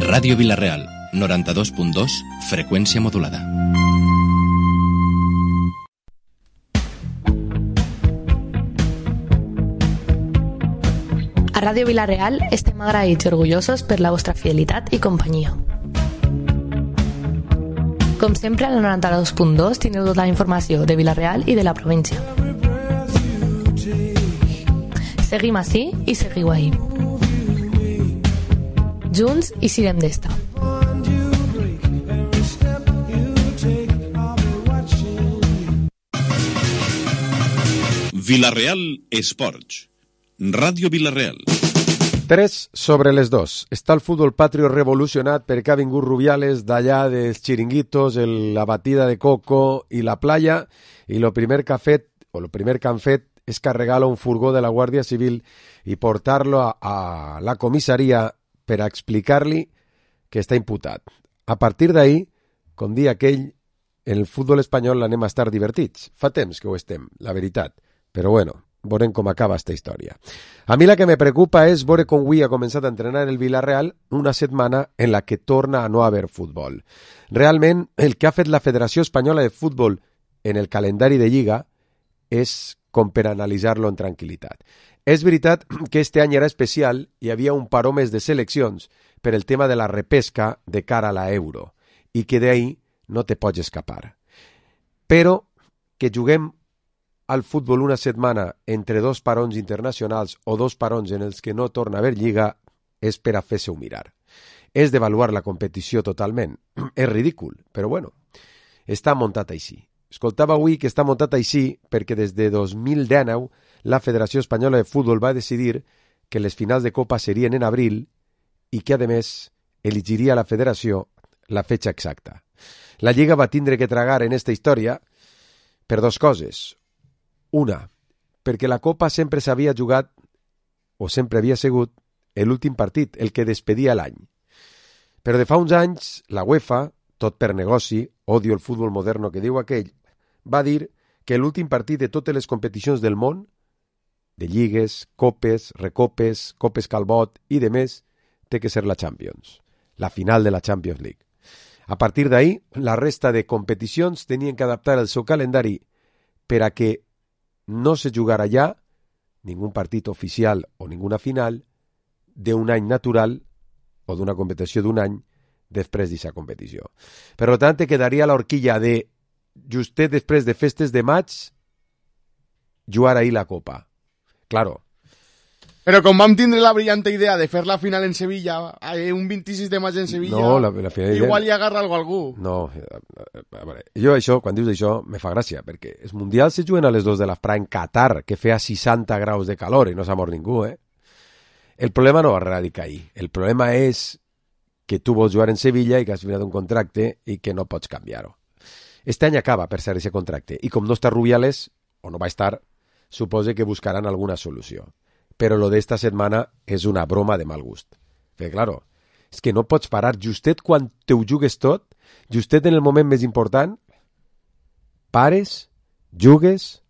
Ràdio Vila-real, 92.2, freqüència modulada. A Ràdio Vila-real estem agraïts i orgullosos per la vostra fidelitat i companyia. Com sempre, al 92.2 teniu tota la informació de Vila-real i de la província. Seguim ací i seguiu ahí. Junts i sirem d'esta. Vila-real Esports. Ràdio Vila-real. 3:02. Està el futbol patrio revolucionat perquè ha vingut Rubiales d'allà dels xiringuitos, la batida de coco i la playa, i lo primer que han fet és carregar-lo un furgó de la Guàrdia Civil i portar-lo a la comissaria per a explicar-li que està imputat. A partir d'ahir, com dia aquell, en el futbol espanyol anem a estar divertits. Fa temps que ho estem, la veritat. Però bueno, veurem com acaba esta història. A mi la que me preocupa és veure com avui ha començat a entrenar el Villarreal una setmana en la que torna a no haver futbol. Realment, el que ha fet la Federació Espanyola de Futbol en el calendari de Lliga és com per analitzar-lo en tranquil·litat. És veritat que este any era especial, hi havia un paró més de seleccions per el tema de la repesca de cara a la Euro, i que d'ahí no te pots escapar. Però que juguem al futbol una setmana entre dos parons internacionals o dos parons en els que no torna a haver lliga és per a fer-se-ho mirar. És d'avaluar la competició totalment. És ridícul, però bueno, està muntat així. Escoltava avui que està muntat així perquè des de 2019 la Federació Espanyola de Futbol va decidir que les finals de Copa serien en abril i que, a més, elegiria la Federació la fetxa exacta. La Lliga va tindre que tragar en esta història per dos coses. Una, perquè la Copa sempre s'havia jugat, o sempre havia sigut, l'últim partit, el que despedia l'any. Però de fa uns anys, la UEFA, tot per negoci, odio el futbol moderno que diu aquell, va dir que l'últim partit de totes les competicions del món, de lligues, copes, recopes, copes Calbot i de més, té que ser la Champions, la final de la Champions League. A partir d'ahí, la resta de competicions tenien que adaptar el seu calendari per a que no se jugara ja ningún partit oficial o ninguna final d'un any natural o d'una competició d'un any després d'aquesta competició. Per tant, quedaria l'horquilla de justet després de festes de maig jugar ahir la Copa. Claro. Però com vam tindre la brillante idea de fer la final en Sevilla, un 26 de maig en Sevilla, no, la final igual hi agarra algú. No, a veure, jo això, quan dius això, me fa gràcia, perquè els mundials se juguen a les 2 de la en Qatar, que feia 60 graus de calor i no s'ha mort ningú, El problema no va radicar ahí. El problema és que tu vols jugar en Sevilla i que has firmat un contracte i que no pots canviar-ho. Este any acaba per ser aquest contracte i com no està Rubiales, o no va estar, suposa que buscaran alguna solució. Però lo d'esta setmana és una broma de mal gust. Perquè, claro, és que no pots parar justet quan te ho jugues tot, justet en el moment més important, pares, jugues,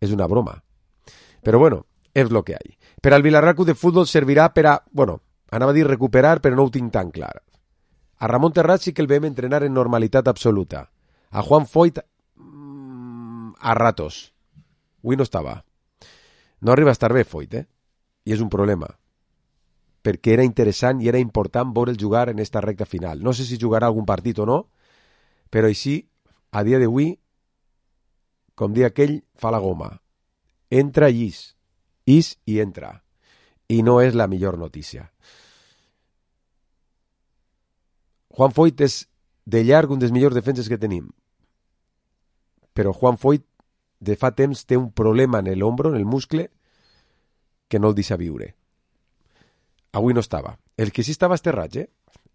és una broma. Però bueno, és lo que hay. Per al Villarreal Club de Futbol servirà per a, bueno, anava a dir recuperar, però no ho tinc tan clar. A Ramon Terrat sí que el vam entrenar en normalitat absoluta. A Juan Foyt a ratos. Avui no estava. No arriba a estar bé Foyt, I és un problema. Perquè era interessant i era important veure'l jugar en esta recta final. No sé si jugarà algun partit o no, però així, a dia d'avui, com dia aquell, fa la goma. Entra i is i entra. I no és la millor notícia. Juan Foyt és de llarg un dels millors defenses que tenim. Però Juan Foyt de fa temps té un problema en l'ombro, en el muscle, que no el deixa viure. Avui no estava. El que sí estava és Terrats,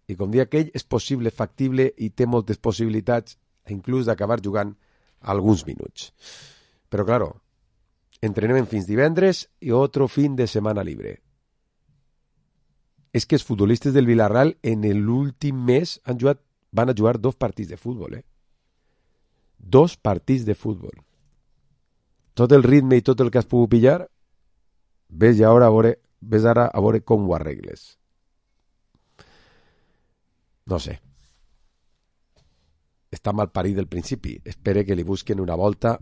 I com dia aquell és possible, factible i té moltes possibilitats inclús d'acabar jugant alguns minuts. Però, claro, entrenem fins divendres i otro fin de setmana libre. És que els futbolistes del Villarreal en l'últim mes van a jugar 2 partits de futbol, 2 partits de futbol. tot el ritme i tot el que has pogut pillar, ves ara a veure com ho arregles. No sé. Està mal parit del principi. Espere que li busquen una volta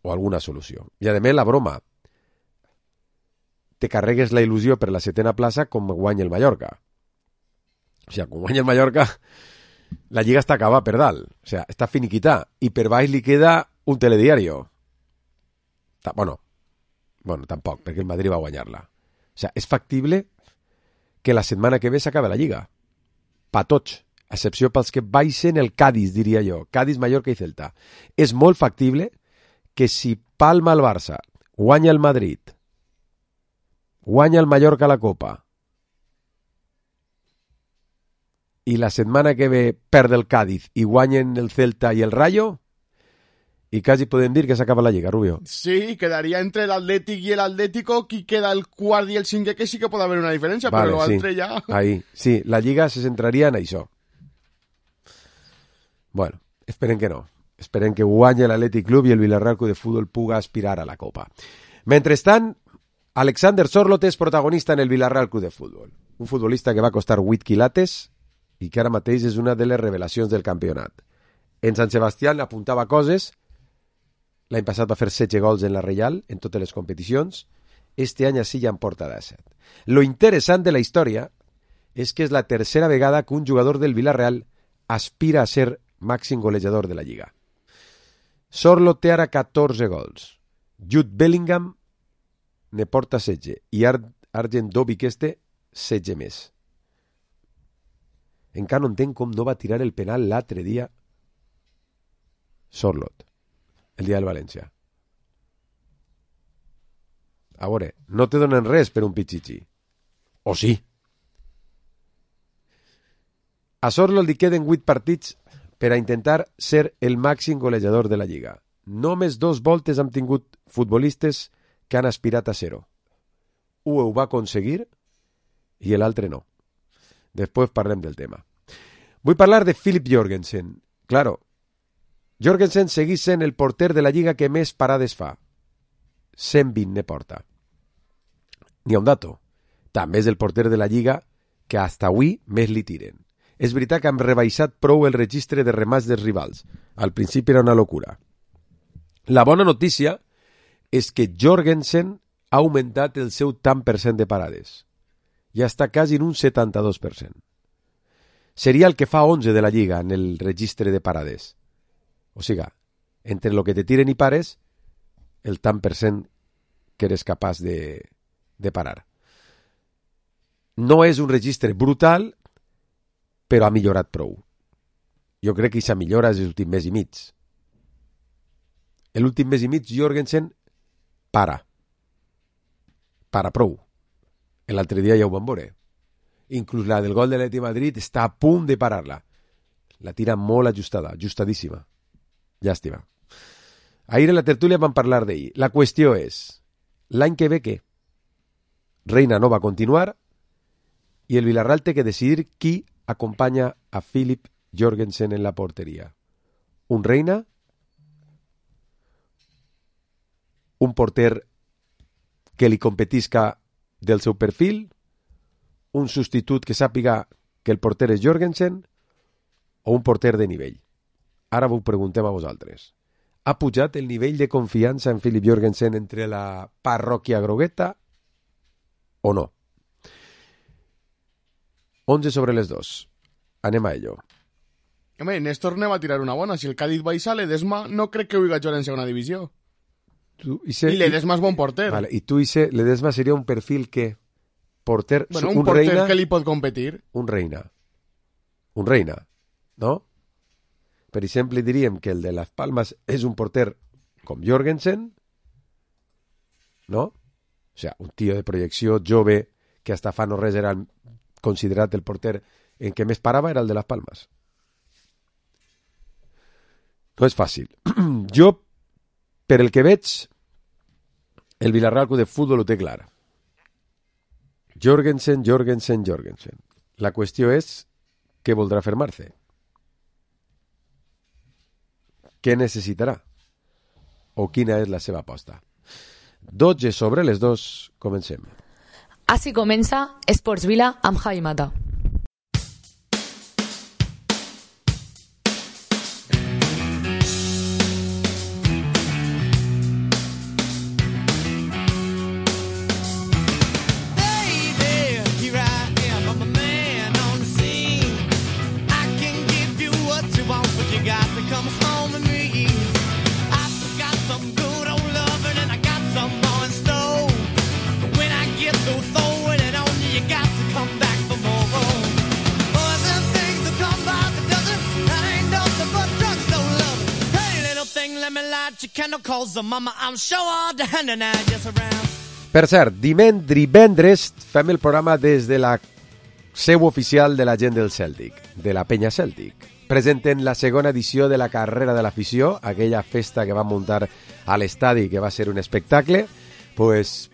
o alguna solució. I a més la broma. Te carregues la il·lusió per la 7ª plaça com guanya el Mallorca. O sigui, com guanya el Mallorca, la lliga està acabada per dalt. O sigui, està finiquitada. I per baix li queda un telediario. Bueno, tampoc, perquè el Madrid va guanyar-la. O sigui, és factible que la setmana que ve s'acabi la lliga. Pa tots, a excepció pels que baixen el Cádiz, diria jo. Cádiz, Mallorca i Celta. És molt factible que si palma el Barça, guanya el Madrid, guanya el Mallorca a la Copa, i la setmana que ve perd el Cádiz i guanyen el Celta i el Rayo, i quasi podem dir que s'acaba la lliga, Rubio. Sí, quedaria entre el Athletic i el Atlético, qui queda el quart i el cinquè, que sí que pot haver una diferència, vale, però l'altre sí. Ja... Ahí, sí, la lliga se centraria en això. Bueno, esperen que no. Esperen que guanyi l'Athletic Club i el Villarreal Club de Futbol puga aspirar a la Copa. Mentrestant, Alexander Sorloth és protagonista en el Villarreal Club de Futbol. Un futbolista que va costar 8 quilates i que ara mateix és una de les revelacions del campionat. En Sant Sebastián apuntava coses. L'any passat va fer 16 gols en la Reial, en totes les competicions. Este any així ja en porta 17. Lo interessant de la història és que és la tercera vegada que un jugador del Villarreal aspira a ser màxim golejador de la Lliga. Sorloth té ara 14 gols. Jude Bellingham ne porta 16 i Arjen Dobbik 16 més. Encara no entenc com no va tirar el penal l'altre dia Sorloth. El dia del València. A veure, no te donen res per un pitxitxi. O sí? A Sorloth li queden 8 partits per a intentar ser el màxim golejador de la Lliga. Només 2 voltes han tingut futbolistes que han aspirat a ser-ho. Un ho va aconseguir i l'altre no. Després parlem del tema. Vull parlar de Philip Jorgensen. Claro, Jorgensen segueix sent el porter de la Lliga que més parades fa. 120 ne porta. N'hi ha un dato. També és el porter de la Lliga que hasta avui més li tiren. És veritat que han rebaixat prou el registre de remats dels rivals. Al principi era una locura. La bona notícia és que Jorgensen ha augmentat el seu tant per cent de parades. Ja està quasi en un 72%. Seria el que fa 11 de la Lliga en el registre de parades. O sigui, entre el que te tiren i pares, el tant per cent que eres capaç de parar. No és un registre brutal, però ha millorat prou. Jo crec que aquesta millora és l'últim mes i mig. L'últim mes i mig Jorgensen para prou. L'altre dia ja ho vam veure. Inclús la del gol de l'Atlètic de Madrid està a punt de parar-la. La tira molt ajustada, ajustadíssima. Llàstima. Ahir en la tertúlia vam parlar d'ell. La qüestió és, l'any que ve què? Reina no va continuar i el Villarreal té que decidir qui acompanya a Philip Jorgensen en la porteria. Un Reina? Un porter que li competisca del seu perfil? Un substitut que sàpiga que el porter és Jorgensen? O un porter de nivell? Ara ho preguntem a vosaltres. Ha pujat el nivell de confiança en Philip Jorgensen entre la parròquia grogueta o no? 11 sobre les 2. Anem a ello. Home, Néstor ne va tirar una bona. Si el Cádiz baixa, l'Edesma no crec que vulgui jugar en segona divisió. I l'Edesma és bon porter. Vale, i tu dices, l'Edesma seria un perfil que porter... Bueno, un porter Reina, que li pot competir. Un Reina, no? Per exemple, diríem que el de Las Palmas és un porter com Jorgensen, no? O sigui, un tio de projecció jove que hasta fa no res era considerat el porter en què més parava era el de Las Palmas. No és fàcil. Jo, per el que veig, el Villarreal Club de Futbol ho té clar. Jorgensen. La qüestió és què voldrà fer Marce. Què necessitarà? o quina és la seva aposta. 12 sobre les 2, comencem. Així comença Esports Vila amb Javi Mata. Per cert, divendres fem el programa des de la seu oficial de la gent del Cèltic, de la Penya Cèltic. Presenten la segona edició de la carrera de l'afició, aquella festa que van muntar a l'estadi, que va ser un espectacle. Pues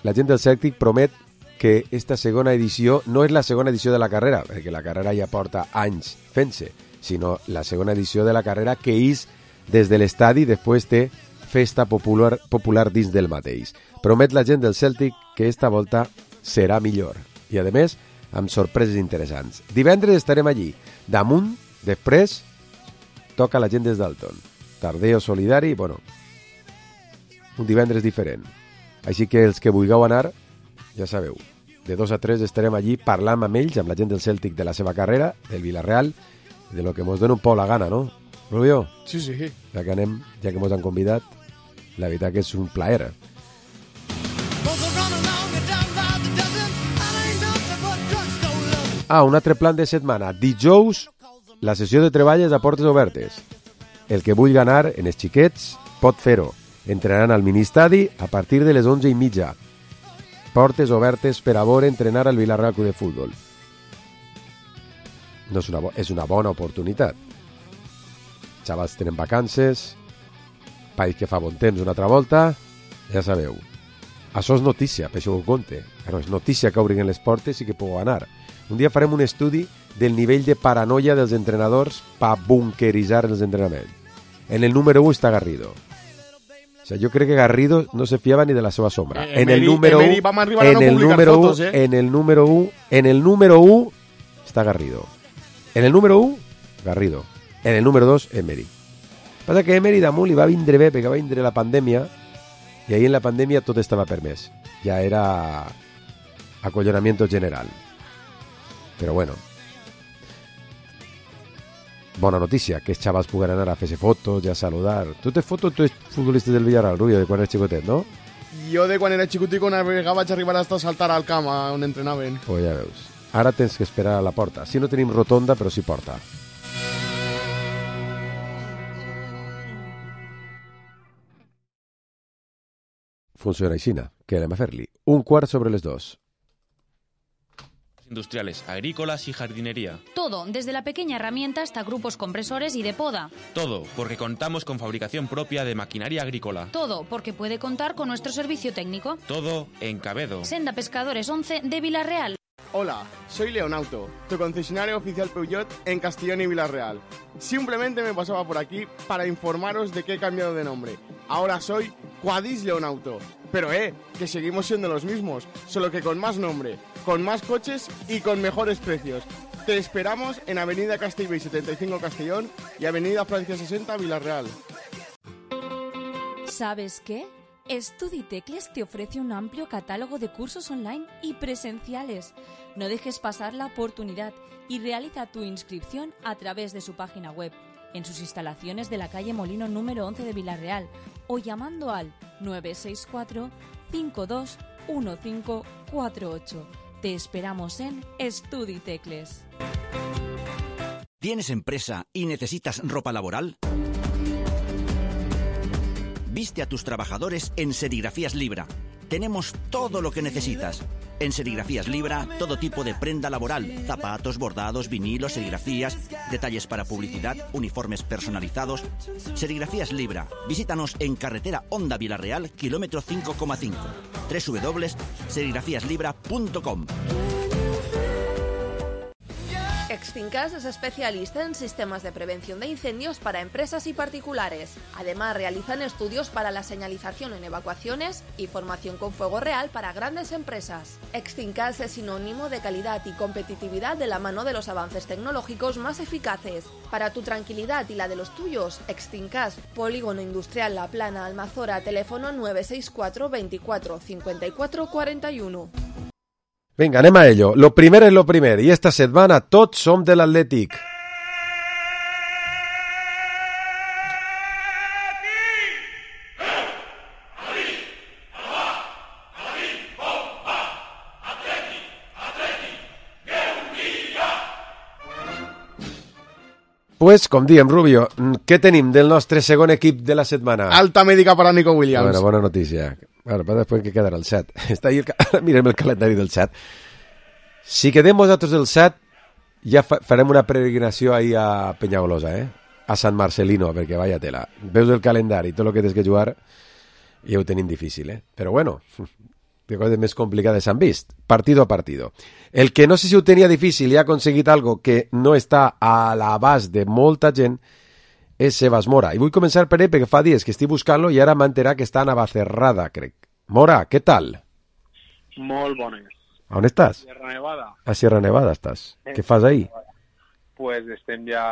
la gent del Cèltic promet que esta segona edició no és la segona edició de la carrera, perquè la carrera ja porta anys fent-se, sinó la segona edició de la carrera que és des de l'estadi després de festa popular dins del mateix. Promet la gent del Cèltic que esta volta serà millor i, a més, amb sorpreses interessants. Divendres estarem allí. Damunt, després, toca la gent des d'Alton. Tardeo solidari, bueno, un divendres diferent. Així que els que vulgueu anar, ja sabeu, de 2 a 3 estarem allí parlant amb ells, amb la gent del Cèltic, de la seva carrera, del Villarreal, de lo que mos dona un poc la gana, no? Rubio? Sí, sí. Ja que anem, ja que mos han convidat, la veritat que és un plaer. Un altre plan de setmana. Dijous, la sessió de treball és a portes obertes. El que vulgui anar en els xiquets pot fer-ho. Entrenaran al ministadi a partir de les 11:30. Portes obertes per a veure entrenar al Villarreal Club de Futbol. No és una bona oportunitat. Xavals tenen vacances, país que fa bon temps una altra volta, ja sabeu. Això és notícia, per això ho compte. Però és notícia que obrin les portes i que pugueu anar. Un dia farem un estudi del nivell de paranoia dels entrenadors per bunkeritzar els entrenaments. En el número 1 està Garrido. O sea, jo crec que Garrido no se fiava ni de la seva sombra. En el número 1 està Garrido. En el número 1, Garrido. En el número 2, Emery. Passa que Emery damunt li va vindre bé perquè va vindre la pandèmia i ahir en la pandèmia tot estava permès. Ja era acollonamiento general. Però bueno. Bona notícia, que els xavals puguen anar a fer-se fotos i a saludar. Tu tens fotos, tu ets futbolista del Villarreal, Rubio, de quan eres xicotet, no? Jo de quan era xicotico una vegada vaig arribar a saltar al camp on entrenaven. Pues ja veus. Ara tens que esperar a la porta. Si no tenim rotonda, però sí porta. Funciona aixina. Què anem a fer-li? 1:15 Industriales, agrícolas y jardinería. Todo, desde la pequeña herramienta hasta grupos compresores y de poda. Todo, porque contamos con fabricación propia de maquinaria agrícola. Todo, porque puede contar con nuestro servicio técnico. Todo en Cabedo. Senda Pescadores 11 de Villarreal. Hola, soy Leonauto, tu concesionario oficial Peugeot en Castellón y Villarreal. Simplemente me pasaba por aquí para informaros de que he cambiado de nombre. Ahora soy Quadis Leonauto. Pero que seguimos siendo los mismos, solo que con más nombre, con más coches y con mejores precios. Te esperamos en Avenida Castellbell 75 Castellón y Avenida Francia 60 Villarreal. ¿Sabes qué? Estuditecles te ofrece un amplio catálogo de cursos online y presenciales. No dejes pasar la oportunidad y realiza tu inscripción a través de su página web, en sus instalaciones de la calle Molino número 11 de Villarreal o llamando al 964-521548. Te esperamos en Estuditecles. ¿Tienes empresa y necesitas ropa laboral? Viste a tus trabajadores en Serigrafías Libra. Tenemos todo lo que necesitas. En Serigrafías Libra, todo tipo de prenda laboral, zapatos, bordados, vinilos, serigrafías, detalles para publicidad, uniformes personalizados. Serigrafías Libra. Visítanos en carretera Honda Villarreal, kilómetro 5,5. www.serigrafiaslibra.com. Extincas es especialista en sistemas de prevención de incendios para empresas y particulares. Además, realizan estudios para la señalización en evacuaciones y formación con fuego real para grandes empresas. Extincas es sinónimo de calidad y competitividad de la mano de los avances tecnológicos más eficaces. Para tu tranquilidad y la de los tuyos, Extincas, Polígono Industrial La Plana, Almazora, teléfono 964 24 54 41. Vinga, anem a ello. Lo primer és lo primer, i esta setmana tots som de l'Atlètic. Pues, com diem, Rubio, què tenim del nostre segon equip de la setmana? Alta médica para Nico Williams. Bueno, bona notícia. Bueno, però després que quedarà el 7. Està ahí mirem el calendari del 7. Si quedem vosaltres del 7, ja farem una peregrinació ahí a Penyagolosa, a Sant Marcelino, perquè vaya tela. Veus el calendari, tot el que tens que jugar, i ho tenim difícil, Però bueno, de coses més complicades s'han vist, partido a partido. El que no sé si ho tenia difícil i ha aconseguit algo que no està a l'abast de molta gent és Sebas Mora. I vull començar per ell perquè fa dies que estic buscant-lo i ara m'enterar que està a Navacerrada, crec. Mora, què tal? Molt bones. A on estàs? Sierra Nevada. A Sierra Nevada estàs. Què fas ahí? Pues estem ja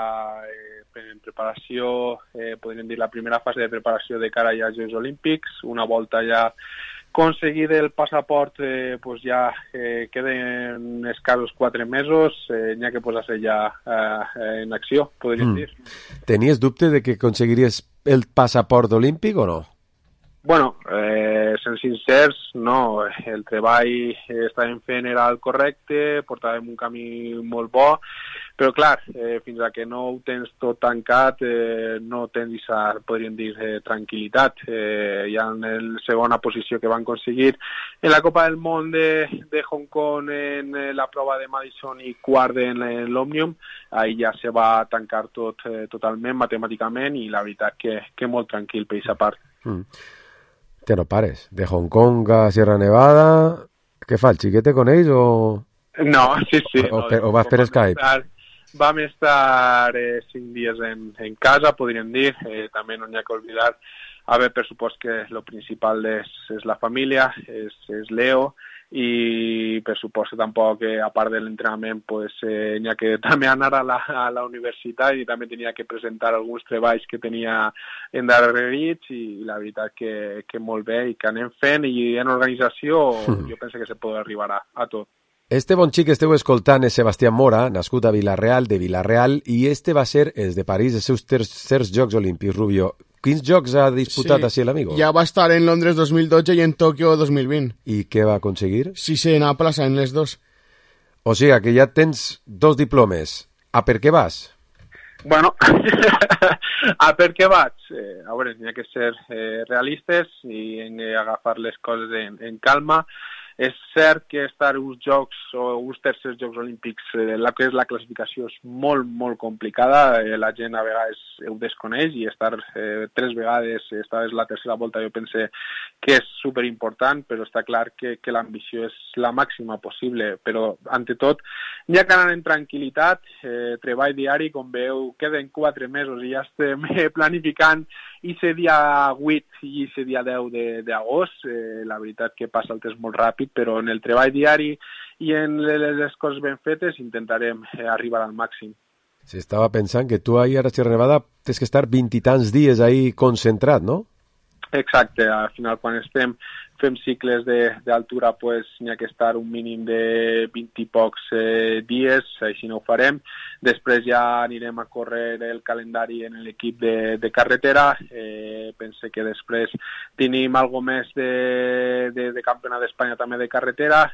en preparació, podríem dir la primera fase de preparació de cara ja als Jocs Olímpics, una volta ja aconseguir el passaport, pues ja queden escassos 4 mesos, n'hi ha que posar-se ja en acció, podríem dir. Tenies dubte de que aconseguiries el passaport olímpic o no? Bueno, sent sincers, no. El treball estàvem fent era el correcte, portàvem un camí molt bo, però clar, fins a que no ho tens tot tancat, no tens aquesta, podríem dir, tranquil·litat. Ja en la segona posició que van aconseguir en la Copa del Món de Hong Kong en la prova de Madison i quart en l'Òmnium, ahí ja se va tancar tot totalment, matemàticament, i la veritat que molt tranquil per aquesta part. Que no pares. De Hong Kong a Sierra Nevada, què fa, el xiquete con ells o...? No, sí. O vas per Skype? Vam estar 5 dies en casa, podríem dir. També no n'hi ha que oblidar. A veure, per supost que el principal és la família, és Leo, i per supost que tampoc, a part de l'entrenament, pues, n'hi ha que també anar a la universitat i també tenia que presentar alguns treballs que tenia endarrerits i la veritat que molt bé i que anem fent i en organització jo penso que se pot arribar a tot. Este bon xic que esteu escoltant és Sebastián Mora, nascut a Vila-real, de Vila-real, i este va ser els de París, els seus tercers Jocs Olímpics, Rubio. Quins jocs ha disputat així l'amigo? Ja va estar en Londres 2012 i en Tòquio 2020. I què va aconseguir? Sisena plaça en les dos. O sigui que ja tens 2 diplomes. A per què vas? Bueno, a per què vaig? A veure, n'hi ha que ser realistes i agafar les coses en calma. És cert que estar uns jocs o uns tercers Jocs Olímpics, la que és la classificació és molt, molt complicada. La gent a vegades ho desconeix i estar 3 vegades, esta és la tercera volta, jo pense que és superimportant, però està clar que l'ambició és la màxima possible. Però, ante tot, n'hi ha que anar en tranquil·litat, treball diari, com veu, queden 4 mesos i ja estem planificant i dia 8 i dia 10 d'agost. La veritat que passa el temps molt ràpid, però en el treball diari i en les coses ben fetes intentarem arribar al màxim. Sí, estava pensant que tu ahir a Sierra Nevada tens que estar 20 i tants dies ahí concentrat, no? Exacte, al final quan fem cicles d'altura pues n'hi ha que estar un mínim de 20 i pocs dies, així no ho farem. Després ja anirem a córrer el calendari en l'equip de carretera. Pense que després tenim algo més de campionat d'Espanya també de carretera.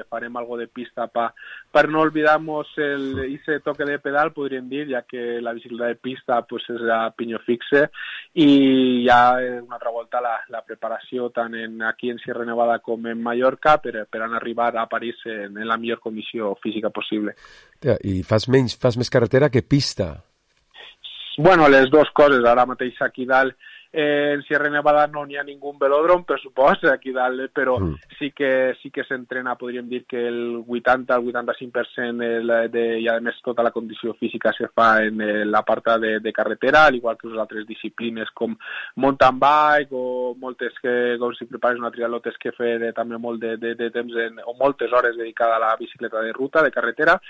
Farem algo de pista per no olvidar-nos ese toque de pedal, podríem dir, ja que la bicicleta de pista pues és a piño fixe, i ja una altra volta la preparació tant aquí en Sierra Nevada com en Mallorca per arribar a París en la millor condició física possible. I fas més carretera que pista? Bueno, les dues coses. Ara mateix aquí dalt en Sierra Nevada no n'hi ha ningú velòdrom, per supost, aquí dalt, però sí que s'entrena, podríem dir que el 80-85% i a més tota la condició física se fa en l'apartat de carretera, al igual que les altres disciplines com mountain bike o moltes que, com si prepares una triatló, tens que fer també molt de temps o moltes hores dedicada a la bicicleta de ruta, de carretera,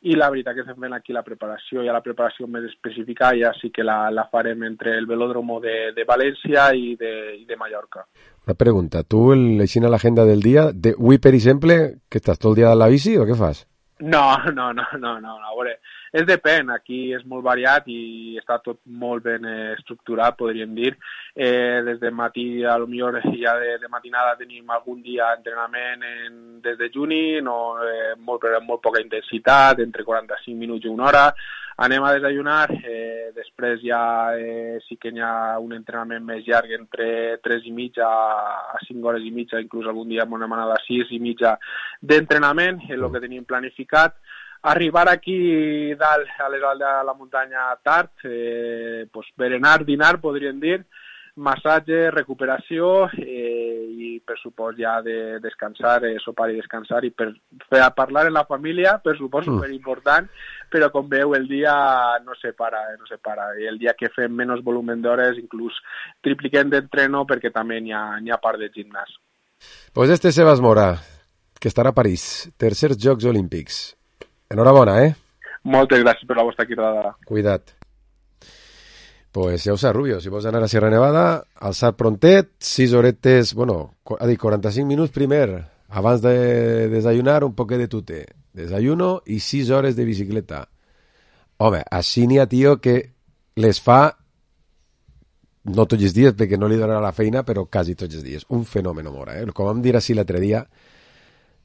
i la veritat que estem fent aquí la preparació, ja la preparació més específica ja sí que la farem entre el velòdromo de València i de Mallorca. Una pregunta, tu així a l'agenda del dia, avui per exemple, que estàs tot el dia a la bici o què fas? No, a veure, depèn, aquí és molt variat i està tot molt ben estructurat, podríem dir. Des de matí, a lo millor ja de matinada tenim algun dia entrenament des de juny, molt poca intensitat, entre 45 minuts i una hora. Anem a desayunar, després ja sí que hi ha un entrenament més llarg entre 3 i mitja a 5 hores i mitja, inclús algun dia hem anat a 6 i mitja d'entrenament, és el que tenim planificat. Arribar aquí dalt a les dalt de la muntanya tard, berenar, dinar, podríem dir, massatge, recuperació i per supost ja de descansar, sopar i descansar i per parlar amb la família, per supost superimportant, però com veu el dia no se para. I el dia que fem menys volum d'hores inclús tripliquem d'entreno perquè també n'hi ha part de gimnàs. Pues este Sebas Mora, que estarà a París, tercers Jocs Olímpics. Enhorabona, Moltes gràcies per la vostra cridada. Cuida't. Pues ja ho saps, Rubio, si vols anar a Sierra Nevada, alçar prontet, 6 horetes, 45 minuts primer, abans de desayunar, un poquet de tute. Desayuno i 6 hores de bicicleta. Home, així n'hi ha tio que les fa no tots els dies, perquè no li donarà la feina, però quasi tots els dies. Un fenomen, Mora, Com vam dir així l'altre dia,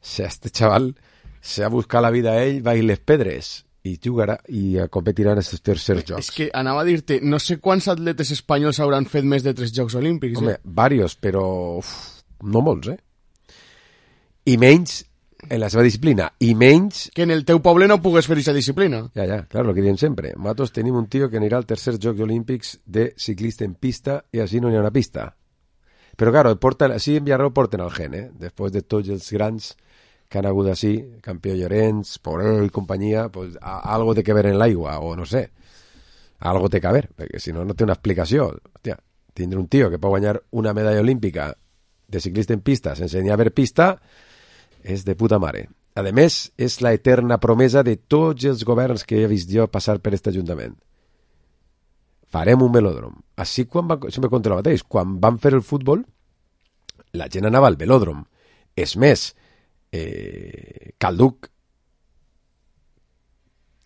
este xaval se va a buscar la vida a ell, va a ir les pedres i jugarà i competirà en aquests tercers jocs. És que anava a dir-te, no sé quants atletes espanyols hauran fet més de 3 Jocs Olímpics. Home, varios, però no molts, I menys en la seva disciplina, i menys... Que en el teu poble no pugues fer aquesta disciplina. Ja, clar, el que diem sempre. Nosaltres tenim un tio que anirà al tercer Jocs Olímpics de ciclista en pista i així no hi ha una pista. Però, claro, així en Villarreal porten el gen, Després de tots els grans que han hagut així, Campió Llorenç, Porel i companyia, pues algo té que ver en l'aigua, o no sé, algo té que ver, perquè si no, no té una explicació. Hòstia, tindre un tio que pot guanyar una medalla olímpica de ciclista en pista sense ni haver pista és de puta mare. A més, és la eterna promesa de tots els governs que he vist jo passar per aquest ajuntament. Farem un velòdrom. Així, sempre contra el mateix, quan van fer el futbol, la gent anava al velòdrom. És més, Calduc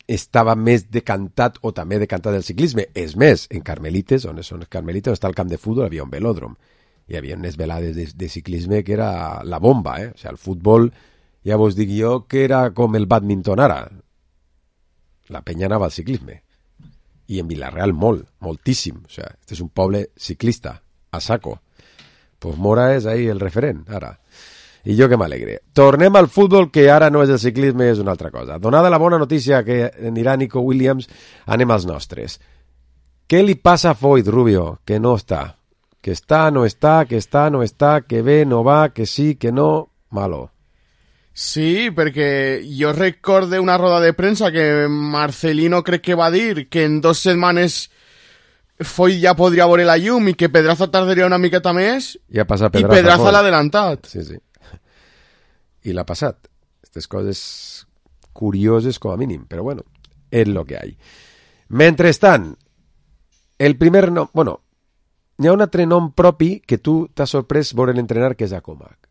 estava més decantat o també decantat del ciclisme. És més, en Carmelites, on són els Carmelites, on està el camp de futbol, havia un velòdrom. Hi havia unes velades de ciclisme que era la bomba, O sigui, el futbol, ja vos dic jo, que era com el badminton ara. La penya anava al ciclisme. I en Vilareal moltíssim. O sigui, este és un poble ciclista, a saco. Pues Mora és ahí el referent, ara. I jo que m'alegre. Tornem al futbol, que ara no és el ciclisme, és una altra cosa. Donada la bona notícia que anirà Nico Williams, anem als nostres. Què li passa a Foyt, Rubio? Que no està. Que està, no està, que està, no està, que ve, no va, que sí, que no... Malo. Sí, perquè jo recorde una roda de premsa que Marcelino crec que va dir que en 2 setmanes Foyt ja podria veure la llum i que Pedraza tardaria una miqueta més i Pedraza l'ha adelantat. Sí. I l'ha passat. Aquestes coses curioses com a mínim, però bueno, és lo que hay. Mentrestant, el primer nom... Bueno, hi ha un altre nom propi que tu t'has sorprès veure l'entrenar, que és Acomac.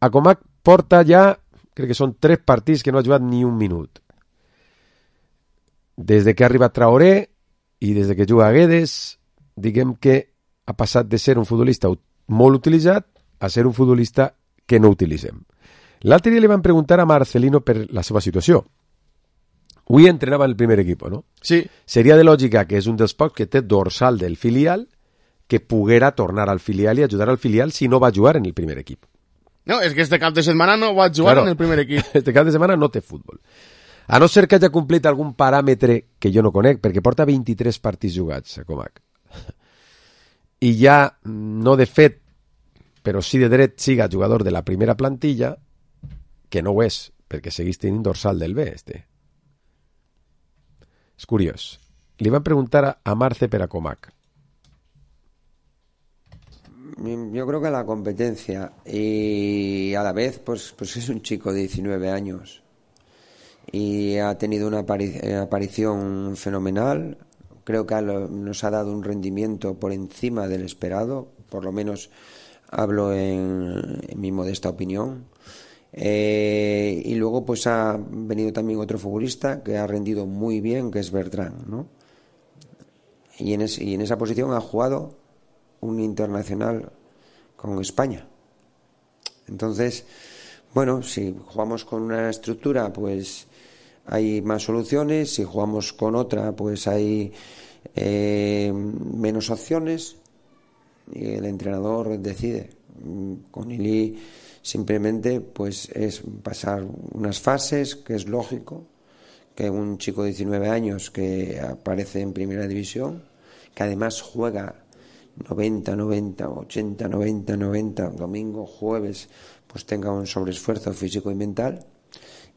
Acomac porta ja, crec que són 3 partits que no ha jugat ni un minut. Des que ha arribat Traoré i des que juga a Guedes, diguem que ha passat de ser un futbolista molt utilitzat a ser un futbolista que no utilitzem. L'altre dia li van preguntar a Marcelino per la seva situació. Avui entrenava en el primer equip, no? Sí. Seria de lògica que és un dels pocs que té dorsal del filial que poguera tornar al filial i ajudar al filial si no va jugar en el primer equip. No, és que este cap de setmana no va jugar en el primer equip. Este cap de setmana no té futbol. A no ser que hagi complit algun paràmetre que jo no conec, perquè porta 23 partits jugats a Comac. i ja no de fet, però sí de dret siga jugador de la primera plantilla, que no ho és, perquè segueix tenint dorsal del B, És curiós. Li van preguntar a Marce per a Comac. Yo creo que la competencia y a la vez pues es un chico de 19 años y ha tenido una aparición fenomenal. Creo que nos ha dado un rendimiento por encima del esperado, por lo menos hablo en mi modesta opinión. Y luego pues ha venido también otro futbolista que ha rendido muy bien, que es Bertrand, ¿no? Y en esa posición ha jugado un internacional con España. Entonces, bueno, si jugamos con una estructura, pues hay más soluciones. Si jugamos con otra, pues hay menos opciones. Y el entrenador decide. Con Ili simplemente pues es pasar unas fases, que es lógico, que un chico de 19 años que aparece en primera división, que además juega 90, 80, domingo, jueves, pues tenga un sobreesfuerzo físico y mental.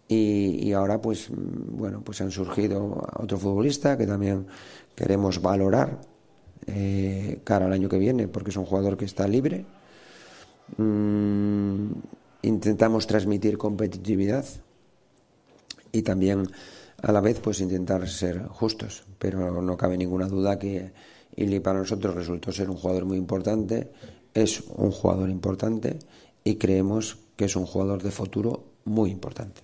Y ahora pues bueno, pues han surgido otro futbolista que también queremos valorar cara al año que viene, porque es un jugador que está libre. Intentamos transmitir competitividad y también a la vez pues intentar ser justos, pero no cabe ninguna duda que Ili para nosotros resultó ser un jugador muy importante, es un jugador importante y creemos que es un jugador de futuro muy importante.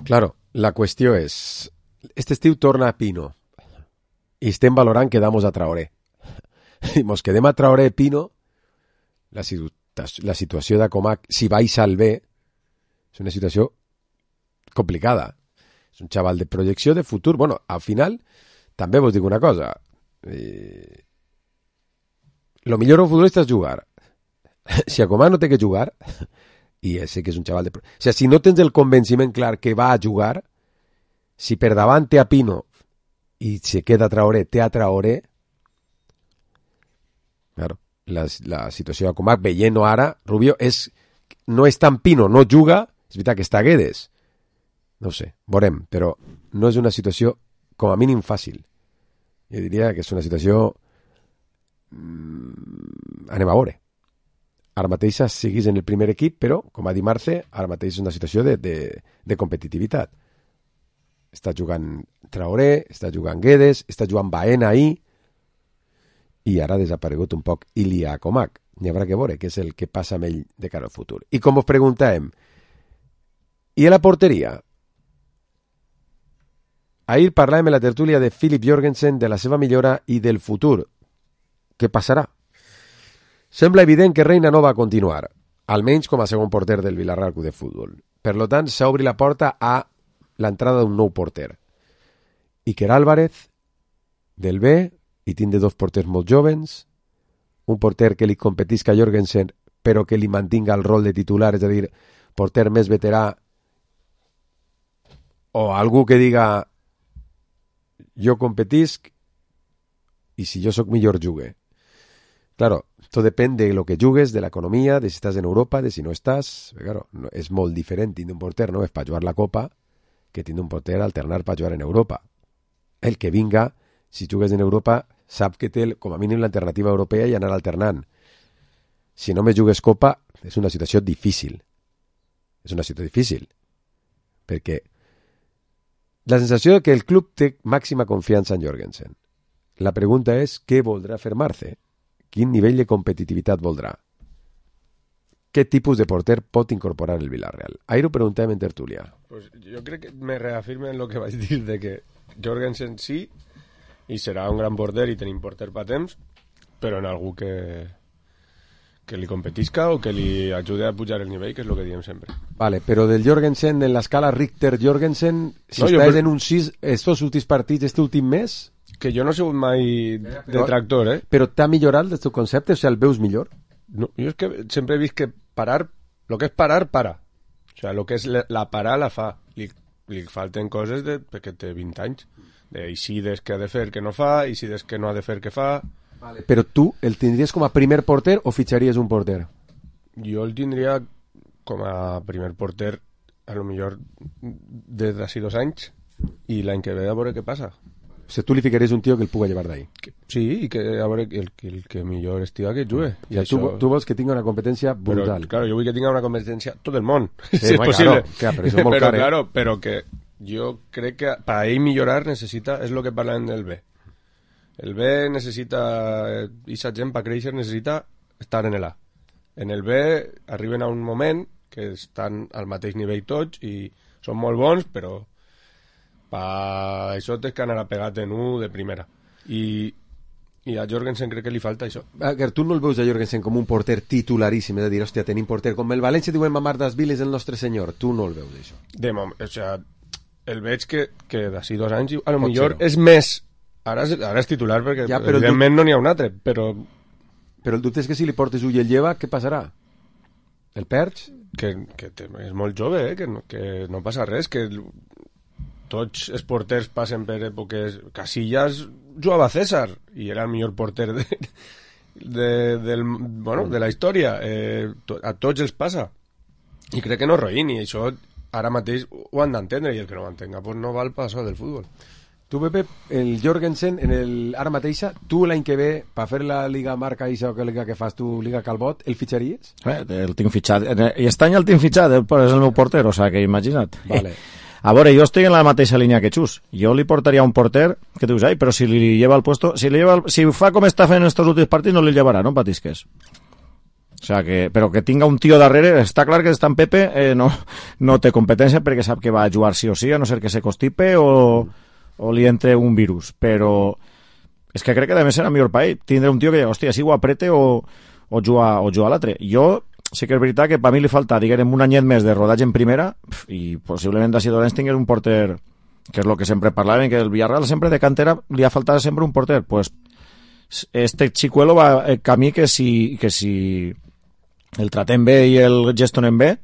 Claro, la qüestió és, este estiu torna a Pino i estem valorant que damos a Traoré. I mos quedem a Traoré Pino, la situació de Comac, si baixa al B, és una situació complicada. És un xaval de projecció de futur. Bueno, al final, també vos dic una cosa. Lo millor un futbolista és jugar. Si a Comac no té que jugar, i sé que és un xaval de... O sigui, si no tens el convenciment clar que va a jugar, si per davant té a Pino i se queda Traoré, té a Traoré, claro, la situació de Comac, veient-ho ara, Rubio, no és tan Pino, no juga, és veritat que està Guedes, no ho sé, veurem, però no és una situació com a mínim fàcil. Jo diria que és una situació... anem a veure. Ara mateix siguis en el primer equip, però, com ha dit Marce, ara mateix és una situació de competitivitat. Està jugant Traoré, està jugant Guedes, està jugant Baena ahir, i ara ha desaparegut un poc Ilia Comac. N'hi haurà que veure què és el que passa amb ell de cara al futur. I com us preguntàvem, i a la porteria? Ahir parlàvem en la tertúlia de Philip Jorgensen, de la seva millora i del futur. Què passarà? Sembla evident que Reina no va continuar, almenys com a segon porter del Villarreal Club de Futbol. Per tant, s'obre la porta a l'entrada d'un nou porter. Iker Álvarez, del B, i tindre dos porters molt jovens, un porter que li competisca a Jorgensen, però que li mantinga el rol de titular, és a dir, porter més veterà, o algú que diga jo competisc i si jo sóc millor jugue. Claro, todo depende de lo que jugues, de la economía, de si estás en Europa, de si no estás. Claro, no, és molt diferent tindre un porter, no és per jugar la Copa, que tindre un porter alternar per jugar en Europa. El que vinga, si jugues en Europa, sap que té com a mínim l'alternativa europea i anar alternant. Si no me jugues Copa, és una situació difícil. És una situació difícil. Perquè la sensació que el club té màxima confiança en Jorgensen. La pregunta és què voldrà fer Marce? Quin nivell de competitivitat voldrà? Què tipus de porter pot incorporar el Villarreal? Ahir ho preguntàvem en tertúlia. Pues jo crec que me reafirme en lo que vaig dir de que Jorgensen sí i serà un gran porter i tenim porter pa temps, però en algú que li competisca o que li ajude a pujar el nivell, que és el que diem sempre. Vale, però del Jorgensen, en l'escala Richter-Jorgensen, si estàs en un 6 estos últims partits, este últim mes... Que jo no he sigut mai detractor, Però t'ha millorat el teu concepte? O sigui, el veus millor? No, jo és que sempre he vist que parar, lo que és parar, para. O sigui, lo que és la parar, la fa. Li falten coses perquè té 20 anys. I si des que ha de fer que no fa, i si des que no ha de fer que fa... Vale. Però tu el tindries com a primer porter o fitxaries un porter? Jo el tindria com a primer porter a lo millor des d'ací 2 anys i l'any que ve a veure què passa. O sigui, tu li ficaries un tio que el puga llevar d'ahí. Sí, i que a veure el que millor estiga que jugue. I això... tu vols que tingui una competència brutal. Però, claro, jo vull que tingui una competència tot el món, sí, si és possible. Claro, però això és molt car, claro, però que jo crec que per a ell millorar necessita, és el que parlem del B. El B necessita, i sa gent per créixer necessita estar en l'A. En el B arriben a un moment que estan al mateix nivell tots i són molt bons, però per això tens que anar a pegar en un de primera. I a Jorgensen crec que li falta això. Tu no el veus a Jorgensen com un porter titularíssim, és a dir, hòstia, tenim porter com el València diuen mamar das viles el nostre senyor, tu no el veus això. De moment, o sea, el veig que d'ací 2 anys a lo millor és més, ara és titular perquè ja, evidentment no n'hi ha un altre, però el dubte és que si li portes ull i el lleva, què passarà? El perds? Que és molt jove, que no passa res, que tots els porters passen per èpoques... Casillas jugava a César i era el millor porter de la història. A tots els passa. I crec que no roïn, i això ara mateix ho han d'entendre, i el que no ho entenga pues no val per això del futbol. Tu, Pepe, el Jorgensen, ara mateixa, tu l'any que ve, per fer la Liga Marca Ixa o que liga que fas tu, Liga Calbot, el fitxaries? El tinc fitxat. I aquest any el tinc fitxat, és el meu porter, o sigui que imagina't. Vale. A veure, jo estic en la mateixa línia que Xus. Jo li portaria un porter que dius, però si li lleva el puesto, si fa com està fent en estos últims partits, no li llevarà, no patisques. O sea però que tinga un tio darrere, està clar que en Pepe no té competència perquè sap que va a jugar sí o sí, a no ser que se constipe o li entre un virus, però és que crec que a més serà millor per ell tindre un tio que, hòstia, si ho aprete o jugar a l'altre. Jo sí que és veritat que per mi li falta, diguem, un anyet més de rodatge en primera i possiblement d'ací 2 anys tingués un porter, que és el que sempre parlaven, que el Villarreal sempre de cantera li ha faltat sempre un porter. Pues este Chicuelo va el camí que si el tratem bé i el gestionen bé,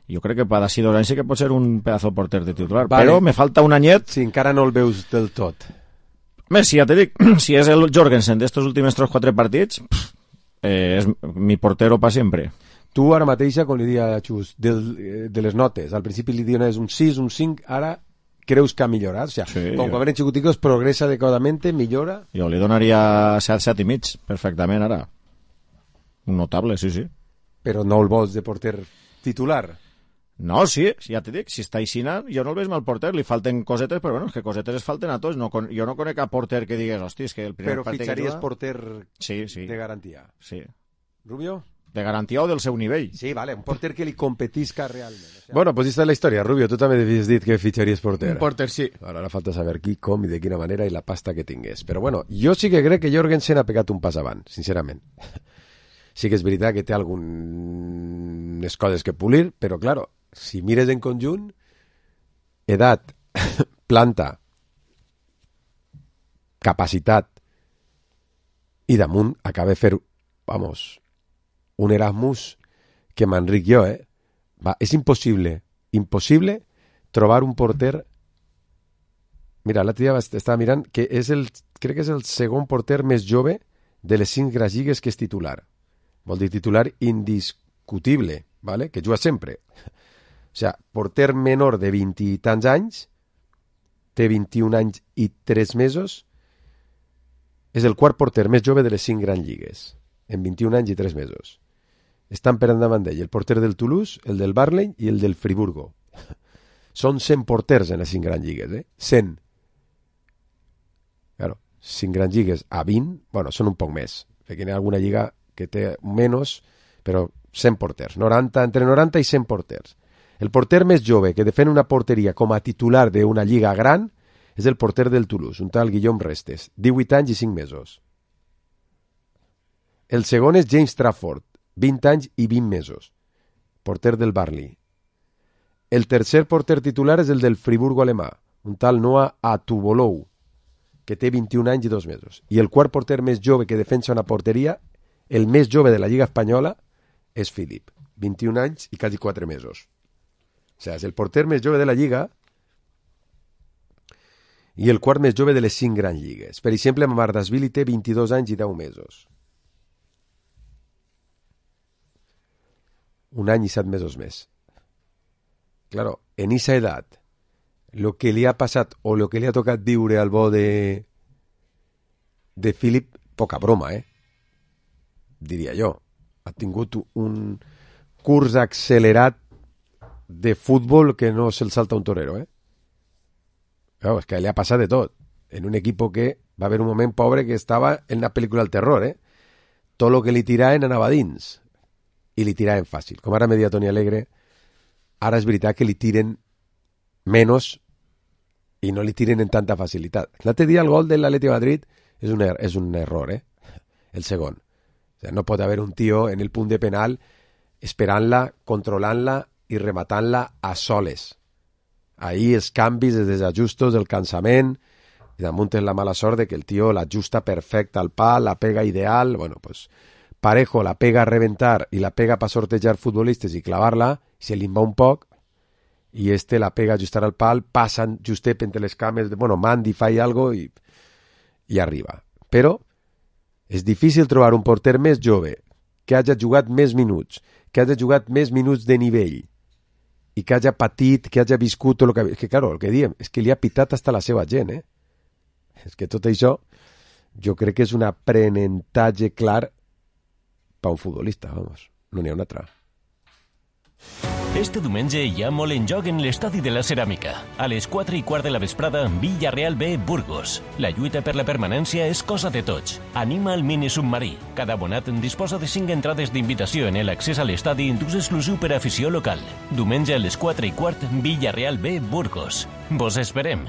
jo crec que per d'ací 2 anys sí que pot ser un pedazo porter de titular, vale. Però me falta un anyet. Si encara no el veus del tot. Més, si ja te dic, si és el Jorgensen d'estos últims 3-4 partits, és mi portero per sempre. Tu ara mateixa, com li dia a Xus, de les notes, al principi li diuen un 6, un 5, ara creus que ha millorat? O sea, sí, com quan eren xicoticos, progressa adequadamente, millora? Jo li donaria 7 i mig, perfectament, ara. Un notable, sí. Però no el vols de porter titular? No, sí, ja t'he dit, si està aixina, jo no el veig mal porter, li falten cosetes, però bueno, és que cosetes es falten a tots. Jo no conec cap porter que digues, hosti, és que el primer partit que juga... Però fitxaries porter sí. De garantia? Sí. Rubio? De garantia o del seu nivell. Sí, vale, un porter que li competisca realment. O sea... Bueno, pues esta es la història. Rubio, tu també havies dit que fitxaries porter. Un porter, sí. Ara falta saber qui, com i de quina manera i la pasta que tingués. Però bueno, jo sí que crec que Jorgensen ha pegat un pas avant, sincerament. Sí que és veritat que té algunes coses que pulir, però claro, si mires en conjunt, edat, planta, capacitat i damunt acaba de fer, un Erasmus que m'enric jo, és impossible trobar un porter. Mira, l'altre dia estava mirant que crec que és el segon porter més jove de les 5 grans lligues que és titular. Vol dir titular indiscutible, ¿vale? Que juga sempre. O sigui, porter menor de 20 i tants anys, té 21 anys i 3 mesos, és el quart porter més jove de les 5 grans lligues, en 21 anys i 3 mesos. Estan per endavant d'ell el porter del Toulouse, el del Burnley i el del Friburgo. Són 100 porters en les 5 grans lligues, 100. Claro, 5 grans lligues a 20, bueno, són un poc més, perquè hi ha alguna lliga que té menys, però 100 porters, entre 90 i 100 porters. El porter més jove que defèn una porteria com a titular d'una lliga gran és el porter del Toulouse, un tal Guillaume Restes, 18 anys i 5 mesos. El segon és James Trafford, 20 anys i 20 mesos, porter del Burnley. El tercer porter titular és el del Friburgo alemà, un tal Noah Atubolou, que té 21 anys i 2 mesos. I el quart porter més jove que defensa una porteria, el més jove de la Lliga Espanyola, és Philip, 21 anys i quasi 4 mesos. O sigui, és el porter més jove de la Lliga i el quart més jove de les 5 grans lligues. Per exemple, Mamardashvili té 22 anys i 10 mesos. Un any i 7 mesos més. Claro, en esa edad, lo que li ha passat o lo que li ha tocat viure al bo de Philip, poca broma, diria jo. Ha tingut un curs accelerat de futbol que no se'l salta un torero, Claro, és que li ha passat de tot. En un equip que va haver un moment pobre que estava en una pel·lícula del terror, Tot lo que li tiraven anava dins. I li tiraven fàcil. Com ara me deia Toni Alegre, ara és veritat que li tiren menys i no li tiren en tanta facilitat. L'altre dia el gol de l'Atleti de Madrid és un error, el segon. O sea, no pot haver un tio en el punt de penal esperant-la, controlant-la i rematant-la a soles. Ahí els canvis, els desajustos, el cansament, i damunt és la mala sort de que el tio l'ajusta perfecte al pal, la pega ideal. Bueno, pues Parejo la pega a reventar i la pega per sortejar futbolistes i clavar-la, se li va un poc, i la pega a ajustar al pal, passen justet entre les cames, Mandy fa algo i arriba. Però és difícil trobar un porter més jove, que hagi jugat més minuts, que hagi jugat més minuts de nivell, i que hagi patit, que hagi viscut tot el que... És que, claro, el que diem és que li ha pitat hasta la seva gent, És que tot això, jo crec que és un aprenentatge clar per un futbolista, vamos, no n'hi ha un altre. Este diumenge hi ha molt en joc en l'Estadi de la Ceràmica. A les 4:15 de la vesprada, Villarreal B, Burgos. La lluita per la permanència és cosa de tots. Anima el mini submarí. Cada abonat disposa de 5 entrades d'invitació en l'accés a l'estadi d'ús exclusiu per a afició local. Diumenge a les 4:15, Villarreal B, Burgos. Vos esperem.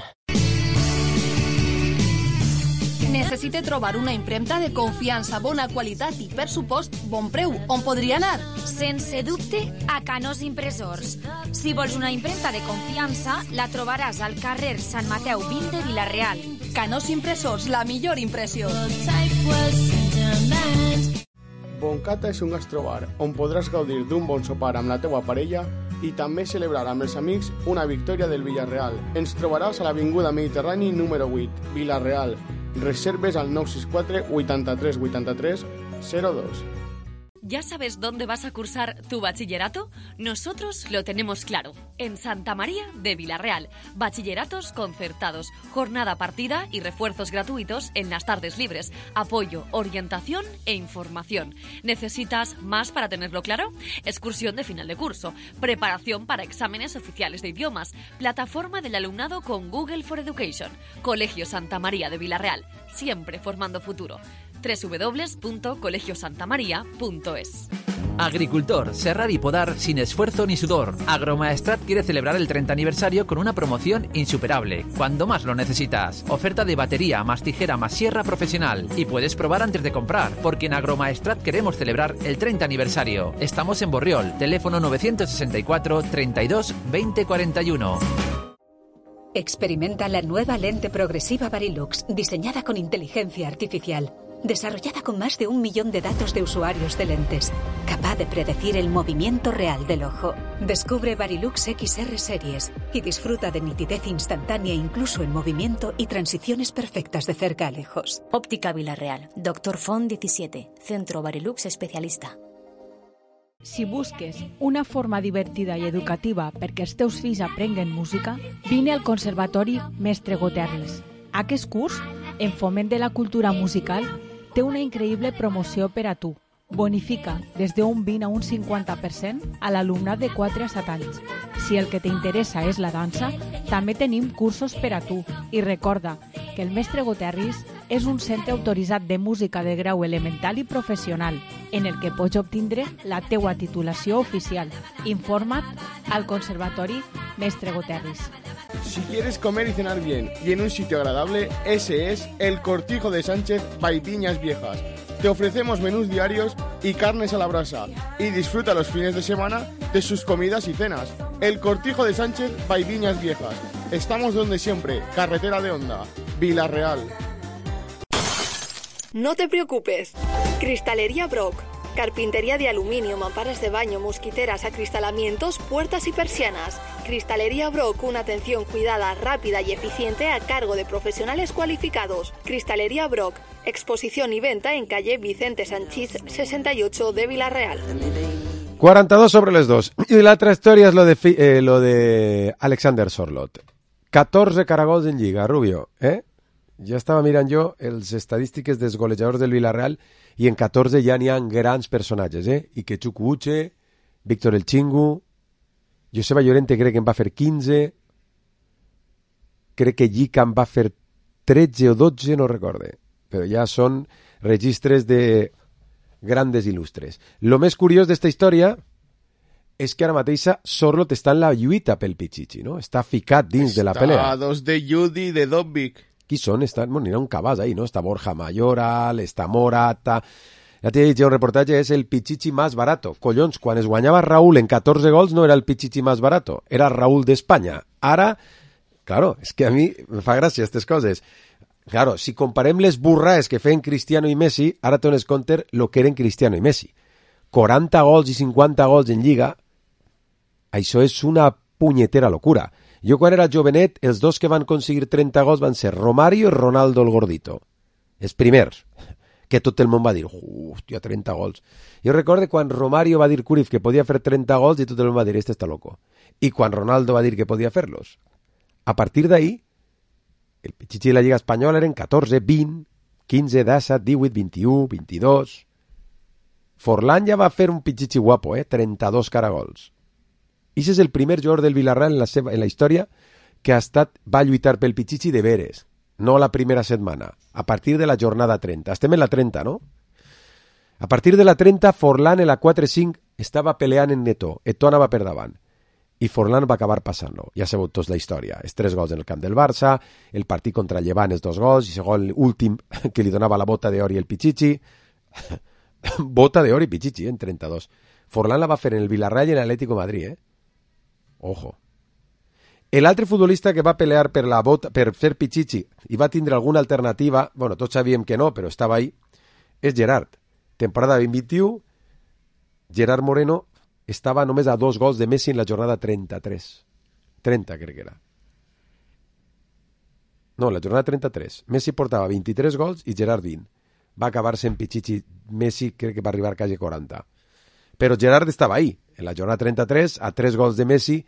Necessite trobar una impremta de confiança, bona qualitat i, per supost, bon preu. On podria anar? Sense dubte, a Canós Impressors. Si vols una impremta de confiança, la trobaràs al carrer Sant Mateu 20 de Vila-real. Canós Impressors, la millor impressió. Boncata és un gastrobar on podràs gaudir d'un bon sopar amb la teua parella i també celebrar amb els amics una victòria del Villarreal. Ens trobaràs a l'Avinguda Mediterrani número 8, Vila-real. Reserves al 964 83 83 02. ¿Ya sabes dónde vas a cursar tu bachillerato? Nosotros lo tenemos claro. En Santa María de Vila-real. Bachilleratos concertados, jornada partida y refuerzos gratuitos en las tardes libres. Apoyo, orientación e información. ¿Necesitas más para tenerlo claro? Excursión de final de curso. Preparación para exámenes oficiales de idiomas. Plataforma del alumnado con Google for Education. Colegio Santa María de Vila-real. Siempre formando futuro. www.colegiosantamaria.es. Agricultor, serrar y podar sin esfuerzo ni sudor. Agromaestrat quiere celebrar el 30 aniversario con una promoción insuperable, cuando más lo necesitas. Oferta de batería más tijera más sierra profesional. Y puedes probar antes de comprar, porque en Agromaestrat queremos celebrar el 30 aniversario. Estamos en Borriol, teléfono 964 32 20 41. Experimenta la nueva lente progresiva Varilux, diseñada con inteligencia artificial. Desarrollada con más de 1 millón de datos de usuarios de lentes, capaz de predecir el movimiento real del ojo. Descubre Varilux XR Series y disfruta de nitidez instantánea incluso en movimiento y transiciones perfectas de cerca a lejos. Óptica Vila-real, Dr. Font 17, Centro Varilux Especialista. Si busques una forma divertida i educativa perquè els teus fills aprenguen música, vine al Conservatori Mestre Goterris. Aquest curs, en foment de la cultura musical, té una increïble promoció per a tu. Bonifica des d'un 20 a un 50% a l'alumnat de 4 a 7 anys. Si el que t'interessa és la dansa, també tenim cursos per a tu. I recorda que el Mestre Goterris és un centre autoritzat de música de grau elemental i professional, en el que pots obtindre la teua titulació oficial. Informa't al Conservatori Mestre Goterris. Si quieres comer y cenar bien y en un sitio agradable, ese es el Cortijo de Sánchez by Viñas Viejas. Te ofrecemos menús diarios y carnes a la brasa y disfruta los fines de semana de sus comidas y cenas. El Cortijo de Sánchez by Viñas Viejas. Estamos donde siempre, carretera de Honda, Vila-real. No te preocupes. Cristalería Brock. Carpintería de aluminio, mamparas de baño, mosquiteras, acristalamientos, puertas y persianas. Cristalería Brock, una atención cuidada, rápida y eficiente a cargo de profesionales cualificados. Cristalería Brock, exposición y venta en calle Vicente Sanchís 68 de Vila-real. 42 sobre les 2. I l'altra història és lo de Alexander Sorloth. 14 caragols en Lliga, Rubio, Ja estava mirant jo els estadístiques dels golejadors del Villarreal i en 14 ja n'hi ha grans personatges, Ike Chukwueze, Víctor El Chingu, Joseba Llorente crec que en va fer 15, crec que Llica en va fer 13 o 12, no recorde, però ja són registres de grandes il·lustres. Lo més curiós d'esta història és que ara mateixa Sorloth està en la lluita pel Pichichi, no? Està ficat dins de la pelea. Està a dos de Judy, de Dobbik. Qui són? Bueno, n'hi ha un cabàs ahí, no? Està Borja Mayoral, està Morata... Ja t'he dit, un reportatge és el Pichichi más barato. Collons, quan es guanyava Raúl en 14 gols no era el Pichichi más barato, era Raúl d'Espanya. Ara, claro, és que a mi me fa gràcia aquestes coses. Claro, si comparem les burraes que feien Cristiano i Messi, ara te dones compte lo que eren Cristiano i Messi. 40 gols i 50 gols en Lliga, això és una punyetera locura. Jo quan era jovenet, els dos que van aconseguir 30 gols van ser Romario i Ronaldo el Gordito. Els primers, que tot el món va dir, hòstia, 30 gols. Jo recordo quan Romario va dir Cruyff que podia fer 30 gols i tot el món va dir, este està loco. I quan Ronaldo va dir que podia fer-los. A partir d'ahí, el Pichichi de la Lliga Espanyola eren 14, 20, 15, 17, 18, 21, 22... Forlán ja va fer un Pichichi guapo, 32 caragols. I és el primer jugador del Villarreal en la història que va lluitar pel Pichichi de veres, no la primera setmana, a partir de la jornada 30. Estem en la 30, no? A partir de la 30, Forlán en la 4-5 estava peleant en Netó. Eto'o anava per davant. I Forlán va acabar passant-lo. Ja sabeu tots la història. Els 3 gols en el camp del Barça, el partit contra el Llevant, els 2 gols, i segon últim que li donava la bota d'or i el Pichichi. Bota d'or i Pichichi, en 32. Forlán la va fer en el Villarreal i en l'Atlético de Madrid, Ojo. L'altre futbolista que va pelear per la bota, per fer Pichichi i va tindre alguna alternativa, bueno, tots sabíem que no, però estava ahí, és Gerard. Temporada 2021, Gerard Moreno estava només a 2 gols de Messi en la jornada 33. 30, crec que era. No, la jornada 33. Messi portava 23 gols i Gerard 20. Va acabar-se en Pichichi. Messi crec que va arribar quasi 40. Però Gerard estava ahí. En la jornada 33, a 3 gols de Messi,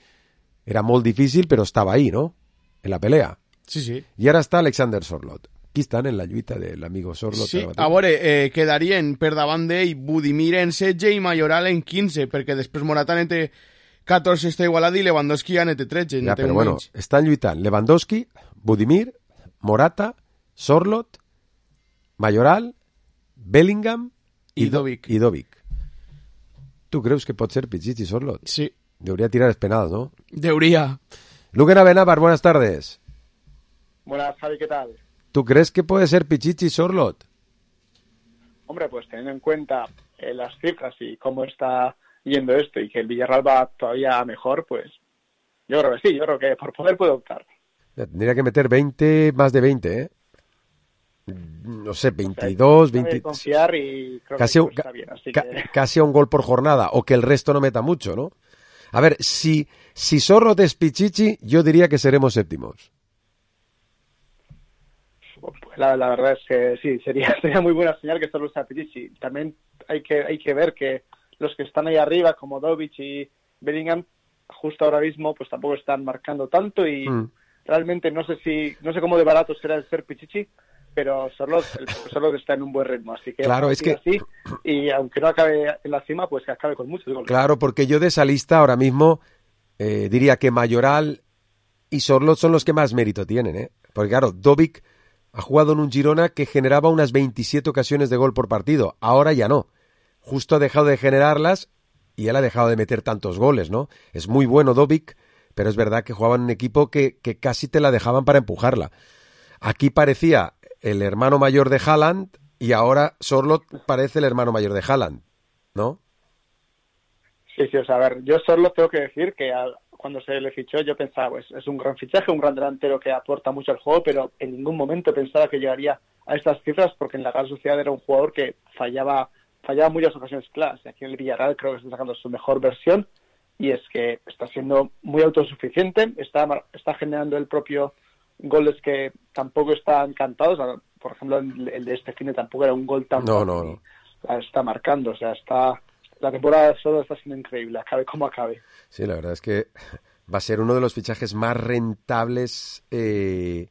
era molt difícil, però estava ahí, no? En la pelea. Sí, sí. I ara està Alexander Sorloth. Aquí estan en la lluita de l'amigo Sorloth. Sí, a veure, quedarien per davant d'ell Budimir en 16 i Mayoral en 15, perquè després Morata en 14 està igualat i Lewandowski ja en 13. Ja, però bueno, estan lluitant Lewandowski, Budimir, Morata, Sorloth, Mayoral, Bellingham i Dobbik. ¿Tú crees que puede ser Pichichi Sorloth? Sí. Debería tirar penales, ¿no? Debería. Luque Navenavar, buenas tardes. Buenas, Javi, ¿qué tal? ¿Tú crees que puede ser Pichichi Sorloth? Hombre, pues teniendo en cuenta las cifras y cómo está yendo esto y que el Villarreal va todavía mejor, pues yo creo que sí, yo creo que por poder puede optar. Tendría que meter 20, más de 20, No sé, 22, 20... confiar y creo casi que está bien, así que... Casi a un gol por jornada, o que el resto no meta mucho, ¿no? A ver, si Sorloth es Pichichi, yo diría que seremos séptimos. Pues la verdad es que sí, sería muy buena señal que Sorloth sea Pichichi. También hay que ver que los que están ahí arriba, como Dobbik y Bellingham, justo ahora mismo, pues tampoco están marcando tanto y realmente no sé cómo de barato será el ser Pichichi, pero Sorloth está en un buen ritmo, así que claro, es que así, y aunque no acabe en la cima, pues que acabe con muchos goles. Claro, porque yo de esa lista ahora mismo diría que Mayoral y Sorloth son los que más mérito tienen, porque claro, Dobbik ha jugado en un Girona que generaba unas 27 ocasiones de gol por partido, ahora ya no, justo ha dejado de generarlas y él ha dejado de meter tantos goles, ¿no? Es muy bueno Dobbik, pero es verdad que jugaba en un equipo que casi te la dejaban para empujarla. Aquí parecía el hermano mayor de Haaland y ahora Sorloth parece el hermano mayor de Haaland, ¿no? Sí, o sea, a ver, yo Sorloth tengo que decir que cuando se le fichó yo pensaba, pues es un gran fichaje, un gran delantero que aporta mucho al juego, pero en ningún momento pensaba que llegaría a estas cifras porque en la Real Sociedad era un jugador que fallaba fallaba muchas ocasiones claras. Y aquí en el Villarreal creo que está sacando su mejor versión, y es que está siendo muy autosuficiente, está generando el propio goles que tampoco están cantados. Por ejemplo, el de este fin de tampoco era un gol tan No. Está marcando, o sea, la temporada solo está siendo increíble, acabe como acabe. Sí, la verdad es que va a ser uno de los fichajes más rentables que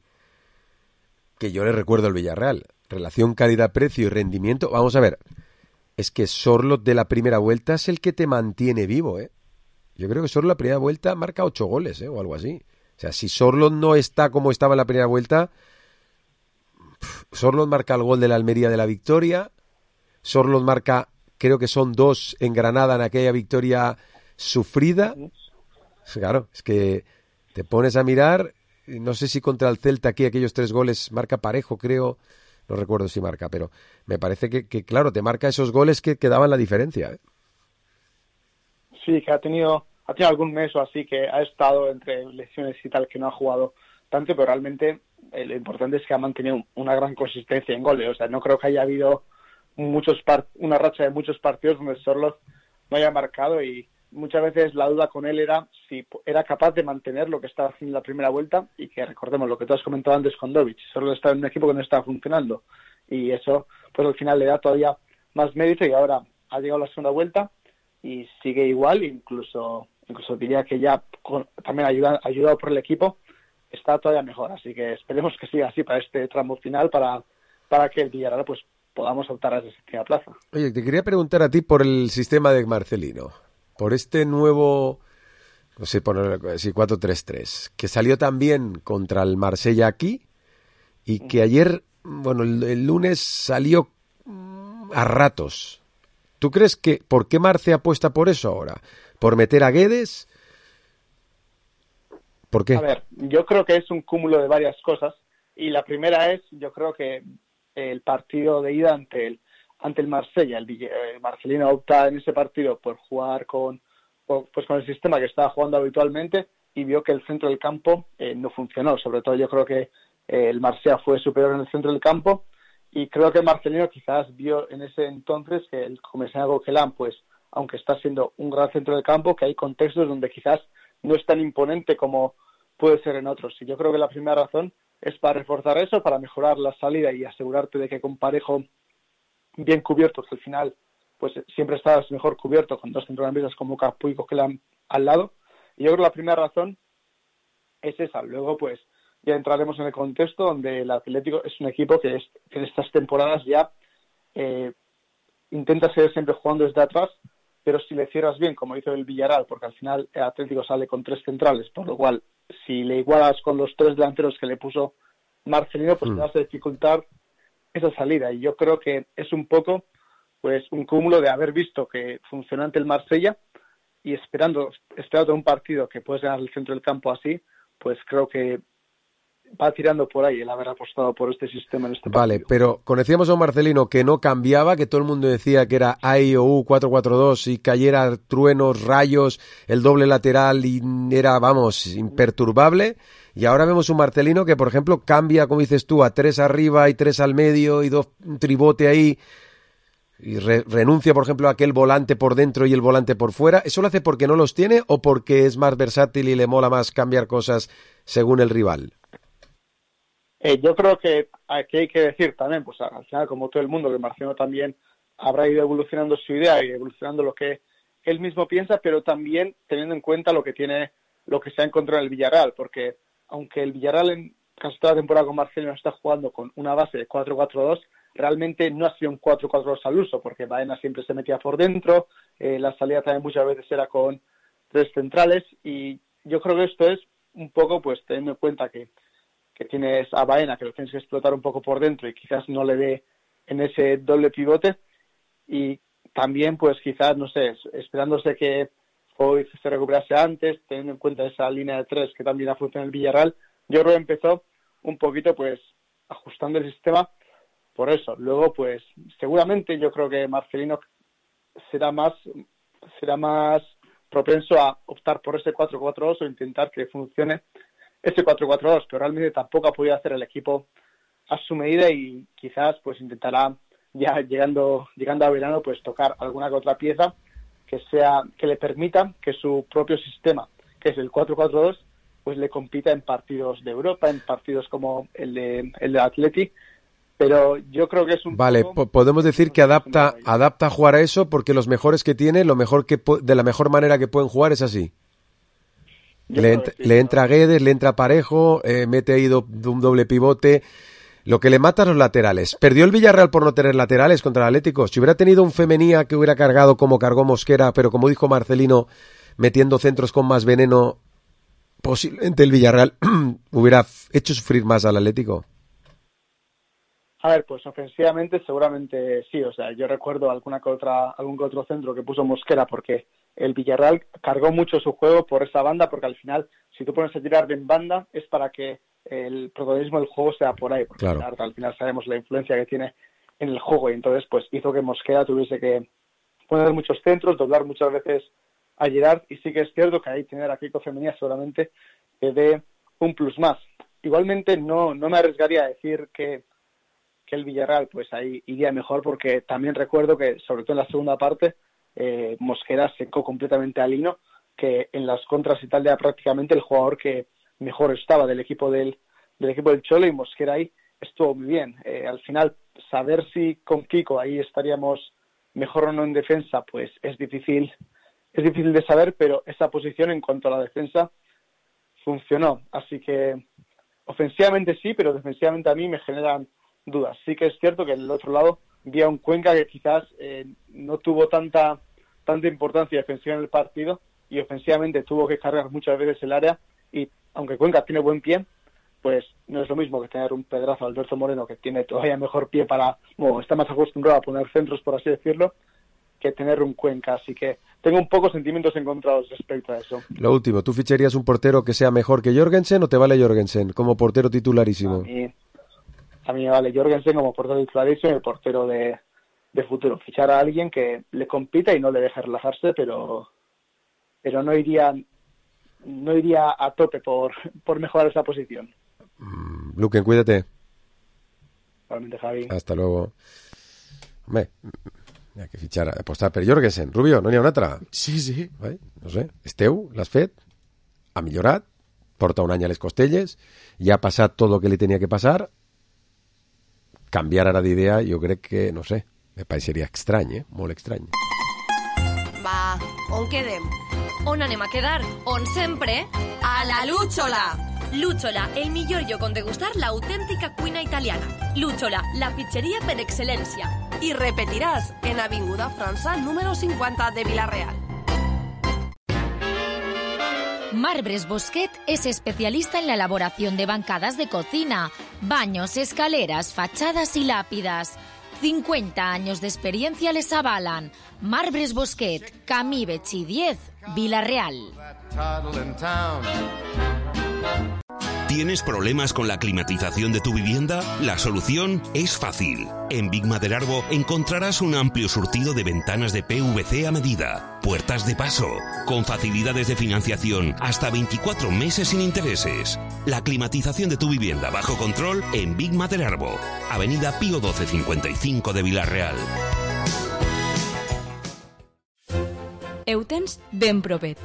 yo le recuerdo al Villarreal. Relación calidad-precio y rendimiento. Vamos a ver, es que Sorloth de la primera vuelta es el que te mantiene vivo, ¿eh? Yo creo que Sorloth la primera vuelta marca 8 goles, o algo así. O sea, si Sorloth no está como estaba en la primera vuelta, Sorloth marca el gol de la Almería de la victoria, Sorloth marca, creo que son 2 en Granada en aquella victoria sufrida. Claro, es que te pones a mirar, no sé si contra el Celta aquí aquellos 3 goles marca Parejo, creo, no recuerdo si marca, pero me parece que claro, te marca esos goles que daban la diferencia, ¿eh? Sí, que ha tenido algún mes o así que ha estado entre lesiones y tal, que no ha jugado tanto, pero realmente lo importante es que ha mantenido una gran consistencia en goles. O sea, no creo que haya habido una racha de muchos partidos donde Sorloth no haya marcado, y muchas veces la duda con él era si era capaz de mantener lo que estaba haciendo en la primera vuelta, y que recordemos lo que tú has comentado antes con Dovic, Sorloth estaba en un equipo que no estaba funcionando, y eso pues al final le da todavía más mérito, y ahora ha llegado la segunda vuelta y sigue igual, incluso diría que ya también ayudado por el equipo está todavía mejor, así que esperemos que siga así para este tramo final, para que el Villarreal pues podamos optar a esa séptima plaza. Oye, te quería preguntar a ti por el sistema de Marcelino, por este nuevo, no sé, por 4-3-3, que salió también contra el Marsella aquí, y que ayer, bueno, el lunes salió a ratos. ¿Tú crees que, por qué Marce apuesta por eso ahora? ¿Por meter a Guedes? ¿Por qué? A ver, yo creo que es un cúmulo de varias cosas, y la primera es, yo creo que el partido de ida ante el Marsella, el Marcelino opta en ese partido por jugar con el sistema que estaba jugando habitualmente, y vio que el centro del campo no funcionó. Sobre todo yo creo que el Marsella fue superior en el centro del campo, y creo que el Marcelino quizás vio en ese entonces que el Comesaña Coquelin, pues aunque está siendo un gran centro del campo, que hay contextos donde quizás no es tan imponente como puede ser en otros. Y yo creo que la primera razón es para reforzar eso, para mejorar la salida y asegurarte de que con Parejo bien cubiertos, al final pues siempre estás mejor cubierto con 2 centrocampistas como Capu y Coquelin al lado. Y yo creo que la primera razón es esa. Luego pues ya entraremos en el contexto donde el Atlético es un equipo que en estas temporadas ya intenta seguir siempre jugando desde atrás, pero si le cierras bien, como hizo el Villarreal, porque al final el Atlético sale con 3 centrales, por lo cual si le igualas con los 3 delanteros que le puso Marcelino, pues te vas a dificultar esa salida. Y yo creo que es un poco pues un cúmulo de haber visto que funciona ante el Marsella, y esperando un partido que puedes ganar el centro del campo así, pues creo que va tirando por ahí el haber apostado por este sistema en este partido. Vale, pero conocíamos a un Marcelino que no cambiaba, que todo el mundo decía que era A, I, O, U, 4-4-2, y cayera truenos, rayos, el doble lateral, y era, vamos, imperturbable. Y ahora vemos un Marcelino que, por ejemplo, cambia, como dices tú, a 3 arriba y 3 al medio, y un tribote ahí, y renuncia, por ejemplo, a aquel volante por dentro y el volante por fuera. ¿Eso lo hace porque no los tiene o porque es más versátil y le mola más cambiar cosas según el rival? Yo creo que aquí hay que decir también, pues al final, como todo el mundo, que Marcelino también habrá ido evolucionando su idea y evolucionando lo que él mismo piensa, pero también teniendo en cuenta lo que se ha encontrado en el Villarreal, porque aunque el Villarreal en casi toda la temporada con Marcelino está jugando con una base de 4-4-2, realmente no ha sido un 4-4-2 al uso, porque Baena siempre se metía por dentro, la salida también muchas veces era con 3 centrales, y yo creo que esto es un poco, pues teniendo en cuenta que tienes a Baena, que lo tienes que explotar un poco por dentro y quizás no le dé en ese doble pivote, y también pues quizás, no sé, esperándose que Foyth se recuperase antes, teniendo en cuenta esa línea de 3 que también ha funcionado en el Villarreal, yo creo que empezó un poquito pues ajustando el sistema por eso. Luego pues seguramente yo creo que Marcelino será más propenso a optar por ese 4-4-2 o intentar que funcione ese 4-4-2, pero realmente tampoco ha podido hacer el equipo a su medida, y quizás pues intentará ya llegando a verano, pues tocar alguna que otra pieza que le permita que su propio sistema, que es el 4-4-2, pues le compita en partidos de Europa, en partidos como el de Atleti. Pero yo creo que es un... Vale, podemos decir que adapta a jugar a eso, porque los mejores que tiene, de la mejor manera que pueden jugar es así. Le entra Guedes, le entra Parejo, mete ahí un doble pivote. Lo que le mata a los laterales. Perdió el Villarreal por no tener laterales contra el Atlético. Si hubiera tenido un Femenía que hubiera cargado como cargó Mosquera, pero como dijo Marcelino, metiendo centros con más veneno, posiblemente el Villarreal hubiera hecho sufrir más al Atlético. A ver, pues ofensivamente seguramente sí. O sea, yo recuerdo algún que otro centro que puso Mosquera, porque el Villarreal cargó mucho su juego por esa banda, porque al final, si tú pones a tirar en banda, es para que el protagonismo del juego sea por ahí, porque claro, al final sabemos la influencia que tiene en el juego, y entonces pues hizo que Mosquera tuviese que poner muchos centros, doblar muchas veces a Gerard, y sí que es cierto que ahí tener a Kiko Femenía seguramente que dé un plus más. Igualmente no me arriesgaría a decir que el Villarreal pues ahí iría mejor, porque también recuerdo que sobre todo en la segunda parte Mosquera secó completamente a Lino, que en las contras y tal era prácticamente el jugador que mejor estaba del equipo del Cholo, y Mosquera ahí estuvo muy bien. Al final, saber si con Kiko ahí estaríamos mejor o no en defensa, pues es difícil de saber, pero esa posición en cuanto a la defensa funcionó. Así que ofensivamente sí, pero defensivamente a mí me generan dudas. Sí que es cierto que en el otro lado vi a un Cuenca que quizás no tuvo tanta importancia defensiva en el partido, y ofensivamente tuvo que cargar muchas veces el área, y aunque Cuenca tiene buen pie, pues no es lo mismo que tener un pedrazo Alberto Moreno, que tiene todavía mejor pie está más acostumbrado a poner centros, por así decirlo, que tener un Cuenca. Así que tengo un poco sentimientos encontrados respecto a eso. Lo último, ¿tú ficharías un portero que sea mejor que Jorgensen o te vale Jorgensen como portero titularísimo? A mí me vale Jorgensen como portero titularísimo y el portero de futuro. Fichar a alguien que le compita y no le deje relajarse, pero no iría a tope por mejorar esa posición. Luquen, cuídate. Igualmente, Javi. Hasta luego. Hombre, hay que fichar, apostar per Jorgensen. Rubio, no n'hi ha una altra? Sí. No sé, Esteu, l'has fet? Ha millorat, porta un any a les costelles, ja ha passat tot el que li tenia que passar. Canviar ara d'idea, jo crec que, no sé, me pareixeria estrany, molt estrany. Va, on quedem? On anem a quedar? On sempre? A la Lucciola! Lucciola, el millor lloc on degustar l'autèntica cuina italiana. Lucciola, la pizzeria per excel·lència. I repetiràs en Avinguda França, número 50 de Vila-real. Marbres Bosquet es especialista en la elaboración de bancadas de cocina, baños, escaleras, fachadas y lápidas. 50 años de experiencia les avalan. Marbres Bosquet, Camí Betxí 10, Vila-real. ¿Tienes problemas con la climatización de tu vivienda? La solución es fácil. En Big Maderarbo encontrarás un amplio surtido de ventanas de PVC a medida, puertas de paso, con facilidades de financiación hasta 24 meses sin intereses. La climatización de tu vivienda bajo control en Big Maderarbo, Avenida Pío 12 55 de Vila-real. Eutens ben propet.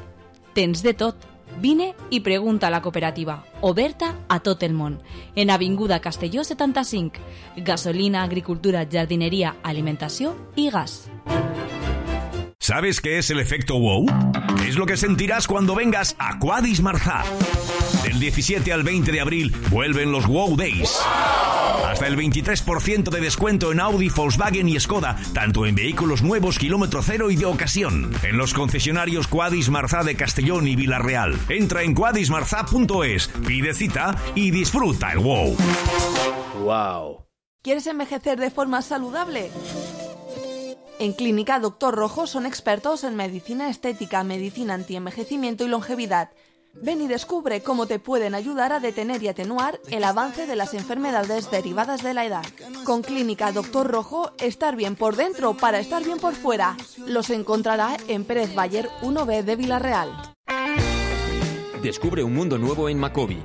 Tens de tot. Vine i pregunta a la cooperativa, oberta a tot el món, en Avinguda Castelló 75, gasolina, agricultura, jardinería, alimentació i gas. ¿Sabes qué es el efecto wow? Es lo que sentirás cuando vengas a Quadis Marzá. Del 17 al 20 de abril vuelven los Wow Days. Hasta el 23% de descuento en Audi, Volkswagen y Skoda, tanto en vehículos nuevos kilómetro cero y de ocasión. En los concesionarios Quadis Marzá de Castellón y Vila-real. Entra en quadismarzá.es, pide cita y disfruta el wow. Wow. ¿Quieres envejecer de forma saludable? En Clínica Doctor Rojo son expertos en medicina estética, medicina antienvejecimiento y longevidad. Ven y descubre cómo te pueden ayudar a detener y atenuar el avance de las enfermedades derivadas de la edad. Con Clínica Doctor Rojo, estar bien por dentro para estar bien por fuera. Los encontrará en Pérez Bayer 1B de Vila-real. Descubre un mundo nuevo en Macobi.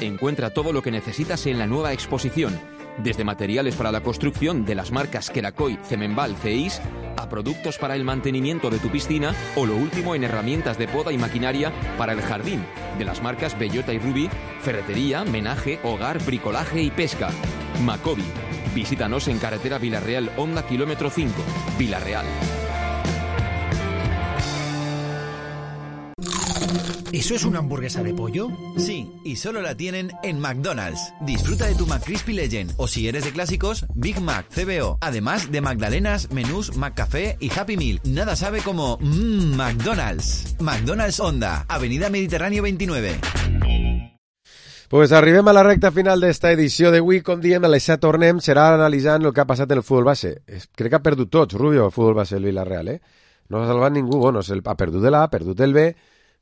Encuentra todo lo que necesitas en la nueva exposición. Desde materiales para la construcción de las marcas Quelacoy, Cemenval, CEIS, a productos para el mantenimiento de tu piscina o lo último en herramientas de poda y maquinaria para el jardín, de las marcas Bellota y Ruby, ferretería, menaje, hogar, bricolaje y pesca. Macobi. Visítanos en carretera Villarreal, Honda, kilómetro 5, Villarreal. ¿Eso es una hamburguesa de pollo? Sí, y solo la tienen en McDonald's. Disfruta de tu McCrispy Legend, o si eres de clásicos, Big Mac, CBO. Además de magdalenas, menús, McCafé y Happy Meal. Nada sabe como McDonald's. McDonald's Honda, Avenida Mediterráneo 29. Pues arribem a la recta final d'esta edició d'avui. Com diem, a les 7 tornem, serà analitzant el que ha passat en el futbol base. Crec que ha perdut tots, Rubio, el futbol base del Villarreal, eh? No ha salvat ningú. Bueno, ha perdut de l'A, ha perdut el B.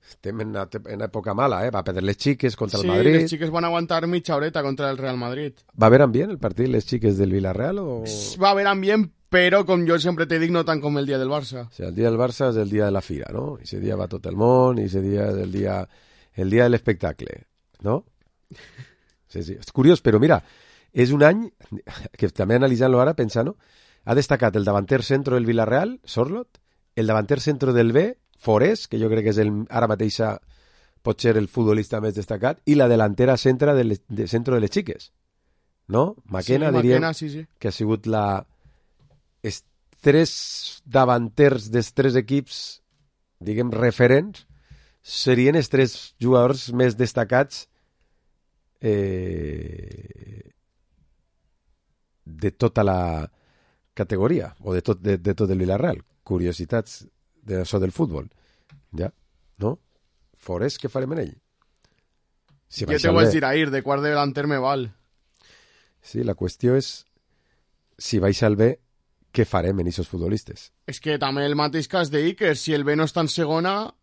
Estem en època mala, eh? Va perdre les xiques contra el Madrid. Sí, les xiques van aguantar mitja horeta contra el Real Madrid. Va haver ambient el partit, les xiques del Villarreal? O... Va haver ambient, però, com jo sempre te dic, no tant com el dia del Barça. O sigui, el dia del Barça és el dia de la fira, no? I ese dia va tot el món, i ese dia és el dia de l'espectacle, no? Sí, sí. És curiós, però mira, és un any que també analitzant-lo ara, pensant-ho, ha destacat el davanter centro del Villarreal, Sorloth, el davanter centro del B, Forés, que jo crec que és ara mateix pot ser el futbolista més destacat, i la delantera centro de les xiques, no? Maquena, sí, diríem, sí. Que ha sigut els tres davanters dels tres equips, diguem, referents, serien els tres jugadors més destacats de tota la categoria, o de tot el Villarreal. Curiositats d'això del futbol. Ja, no? Forés, què farem en ell? Si jo te vaig dir ahir, de quart de delanter me val. Sí, la qüestió és si vais al B, què farem en aquests futbolistes? És que també el mateix cas d'Iker, si el B no està en segona,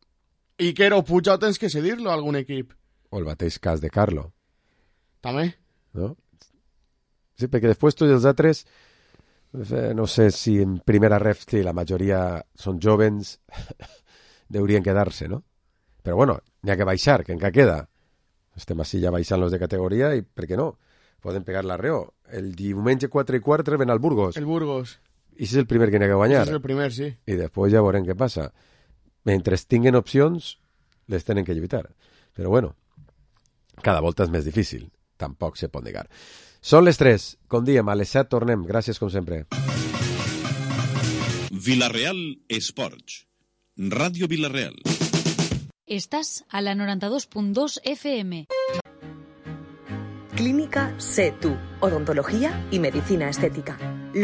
Iker o Puig tens que cedir-lo a algun equip. O el mateix cas de Carlo. També. No? Sí, perquè després tots els altres, no sé si en primera ref la majoria són jovens, deurien quedar-se, no? Però bueno, n'hi ha que baixar, que encara queda. Estem així ja baixant los de categoria i, per què no? Poden pegar l'arreo. El diumenge 4:15 reben al Burgos. El Burgos. I és el primer que n'hi ha que guanyar. És el primer, sí. I després ja veurem què passa. Mentre tinguen opcions, les tenen que lluitar. Però bueno, cada volta és més difícil. Tampoc se pot negar. Són les 3, com diem, a les 7 tornem. Gràcies, com sempre. Villarreal Esports. Radio Villarreal. Estás a la 92.2 FM. Clínica Sé Tú, odontología y medicina estética.